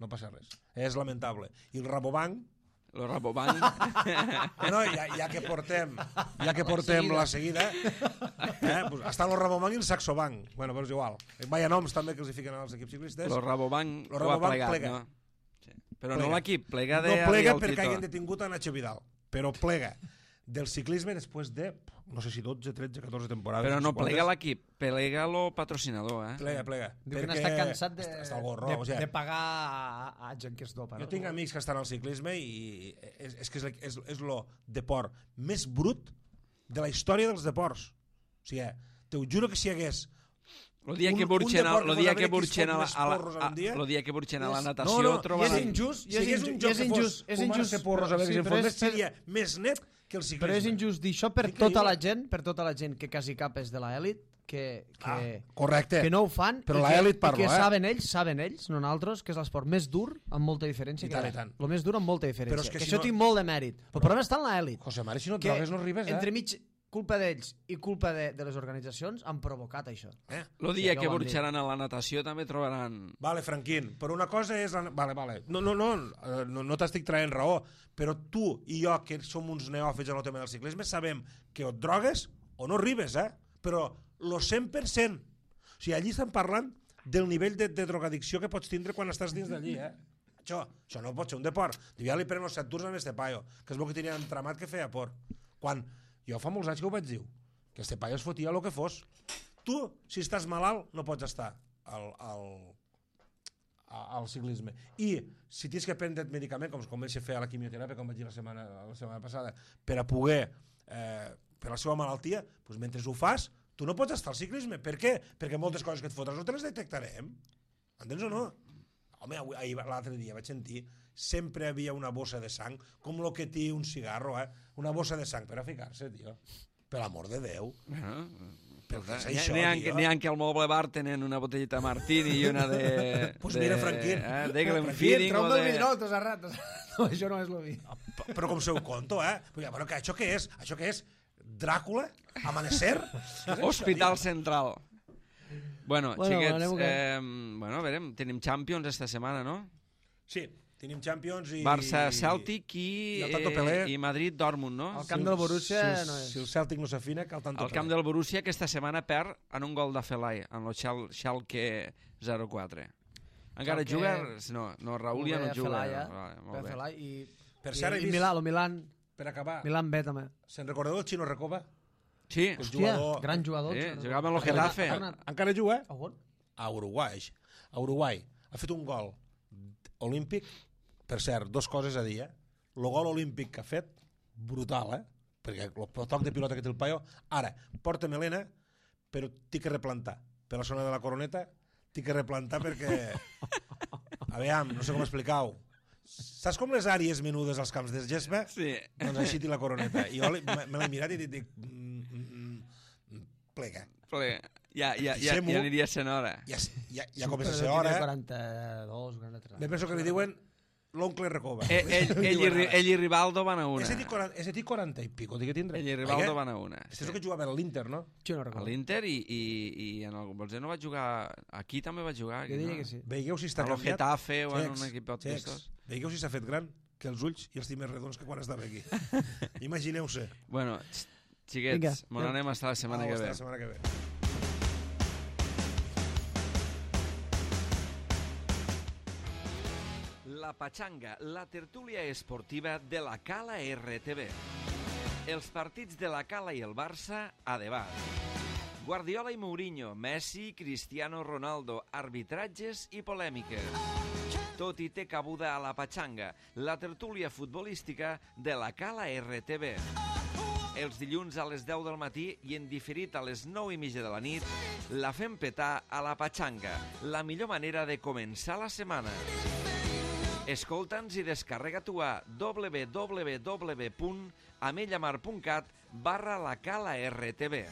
B: no passa res. És lamentable. I el Rabobank,
A: Lo Rabobank.
B: bueno, ja, ja que portem, ja que portem la seguida, eh, pues, està el Rabobank i el Saxobank. Bueno, però és igual. Vaya noms també que els hi fiquen als equips ciclistes.
A: Lo Rabobank,
B: lo
A: ho ha
B: Rabobank
A: plegat,
B: plega.
A: no? Sí. Però
B: Plega.
A: no l'equip, plega de...
B: No plega perquè hagin detingut a Nacho Vidal, però plega del ciclisme després de, no sé si dotze, tretze, catorze temporades.
A: Però no plega l'equip, plega lo patrocinador, eh?
B: Plega, plega.
C: Diu que n'està cansat de,
B: està al gorro,
C: de,
B: o sigui,
C: de pagar a, a gent que es dopa.
B: jo
C: no?
B: tinc amics que estan al ciclisme i és, és que és, és, és lo deport més brut de la història dels deports. O sigui, te ho juro que si hi hagués
A: Lo dia
B: un-
A: que
B: un
A: burxen a,
B: deport
A: lo
B: que
A: dia
B: fos
A: que
B: haver
A: burxen a la,
B: més
A: a la,
B: porros en
A: a,
B: un dia,
A: lo dia que burxen a la
B: és-
A: natació
B: no, no,
A: trobar...
C: i és injust, i
B: si
C: és,
B: hi hagués
C: inju
B: un
C: i
B: joc
C: és
B: que
C: injust,
B: fos
C: és
B: fumar-se
C: injust.
B: porros a veure
C: sí,
B: si en
C: però
B: fos
C: és-
B: més, seria més net que el ciclisme.
C: Però és injust dir això per
B: Increïble.
C: tota la gent, per tota la gent que quasi cap és de l'elit, que, que,
B: Ah, correcte.
C: que no ho fan
B: Però
C: i,
B: l'elit
C: que,
B: parlo,
C: i que
B: eh?
C: saben ells, saben ells, no nosaltres, que és l'esport més dur amb molta diferència.
B: I
C: que
B: tant,
C: hi ha.
B: i tant.
C: El més dur amb molta diferència.
B: Però és que
C: que
B: si
C: això
B: no-
C: tinc molt de mèrit. El problema està en l'elit.
B: José Mari, si no et
C: Que
B: drogues no arribes, eh?
C: entremig, culpa d'ells i culpa de, de les organitzacions han provocat això.
B: eh?
A: El dia
C: Sí,
A: que
C: ja ho han
A: burxaran a la natació també trobaran...
B: Vale, Franquín, però una cosa és... La... Vale, vale. No, no, no, eh, no, no t'estic traient raó, però tu i jo, que som uns neòfits en el tema del ciclisme, sabem que o et drogues o no arribes, eh? Però lo cent per cent. O sigui, allí estan parlant del nivell de, de drogadicció que pots tindre quan estàs dins d'allí, eh? Això, això no pot ser un deport. Diu, ja li prenen els set tours a este paio, que és el que tenia entramat que feia por. Quan jo fa molts anys que ho vaig dir, que este paio es fotia el que fos. Tu, si estàs malalt, no pots estar al, al, al ciclisme. I si tens que prendre medicament, com es comença a fer a la quimioteràpia, com vaig dir la setmana, la setmana passada, per a poder, eh, per la seva malaltia, doncs mentre ho fas, tu no pots estar al ciclisme. Per què? Perquè moltes coses que et fotres no te les detectarem. Entens o no? Home, l'altre dia vaig sentir, sempre hi havia una bossa de sang, com el que té un cigarro, eh? Una bossa de sang per a ficar-se, tio. Per l'amor de Déu.
A: Bueno,
B: Però què és
A: N'hi
B: això,
A: ha,
B: tio?
A: n'hi ha que al Moble Bar tenen una botellita Martini i una de...
B: Pues
A: de,
B: mira, Franquín.
A: Eh, de Glenfiddich
C: Franquín,
A: o
C: trau-me el
A: de...
C: vidró, t'has errat. No, això no és el vi.
B: Però com se ho conto, eh? Però, bueno, que això què és? Això què és? Dràcula? Amanecer?
A: Hospital Central. Bueno,
C: Bueno,
A: xiquets,
C: anem que-
A: eh, bueno, a veure, tenim Champions esta setmana, no?
B: Sí, tenim Champions i...
A: Barça-Celtic i,
B: i el Tanto
A: eh,
B: Pelé.
A: i Madrid-Dortmunt, no?
C: El camp del Borussia
B: si,
C: no és.
B: Si el Celtic no s'afina, cal tanto
A: El camp del Borussia aquesta setmana perd en un gol de Felai, en el Schal Schalke zero quatre. Encara
C: Schalke-
A: juga? No, no, Raúl ja no
C: Ve a
A: juga.
C: Felai, eh?
A: Vale,
C: Ve
A: molt
C: a
A: bé.
C: Felai i,
B: Per
C: i,
B: cert, he
C: i
B: vist-
C: Milà, el Milan,
B: Per acabar,
C: Milan B també.
B: se'n recordeu del Chino Recoba?
A: Sí,
B: El
C: Hòstia,
B: jugador-
C: gran jugador.
A: sí,
C: Xavi.
A: jugava amb el
C: Ha tornat-
A: Getafe.
C: ha tornat-
B: Encara juga?
C: A on?
B: A Uruguai. A Uruguai. Ha fet un gol olímpic. Per cert, dos coses a dir, eh? El gol olímpic que ha fet, brutal, eh? Perquè el toc de pilota que té el paio... Ara, porta melena, però t'hi que replantar. Per la zona de la coroneta, t'hi que replantar perquè... Aviam, no sé com explicar-ho. Saps com les àrees menudes als camps de gespa?
A: Sí.
B: Doncs així té la coroneta. I jo li- me me l'he mirat i dic... dic mm, mm, mm, plega.
A: Ple. Ja, ja, ja,
B: Fixem-ho.
A: ja aniria sent hora.
B: Ja, ja, ja comença a
C: Però
B: ser
C: tiene
B: hora.
C: quaranta-dos, quaranta-tres.
B: Me penso que li diuen l'oncle Recoba.
A: Eh, ell, ell, i, Ri- ell i Rivaldo van a una.
B: Ese té quaranta, ese té quaranta i pico, té que tindre.
A: Ell i Rivaldo van a una.
B: Este és el que jugava a l'Inter, no?
C: Jo no
A: A
C: recordo.
A: l'Inter i, i, i en el Bolser no va jugar... Aquí també va jugar.
C: Jo diria
A: no?
C: que sí.
B: Veieu si està
A: A lo
B: canviat?
A: Getafe o en
B: Xecs,
A: un equip
B: xecs.
A: d'estos.
B: Veieu si s'ha fet gran? Que els ulls i els té més redons que quan estava aquí. Imagineu-se.
A: Bueno, x- xiquets,
C: Vinga,
A: me n'anem hasta la setmana
B: Au,
A: que
B: hasta
A: ve.
B: La setmana que ve.
A: La Pachanga, la tertúlia esportiva de la Cala R T V. Els partits de la Cala i el Barça a debat. Guardiola i Mourinho, Messi, Cristiano Ronaldo, arbitratges i polèmiques. Tot hi té cabuda a la Pachanga, la tertúlia futbolística de la Cala R T V. Els dilluns a les deu del matí i en diferit a les nou i mitja de la nit, la fem petar a la Pachanga, la millor manera de començar la setmana. Escolta'ns i descarrega-t'ho a w w w punt amellamar punt cat barra la Cala R T V.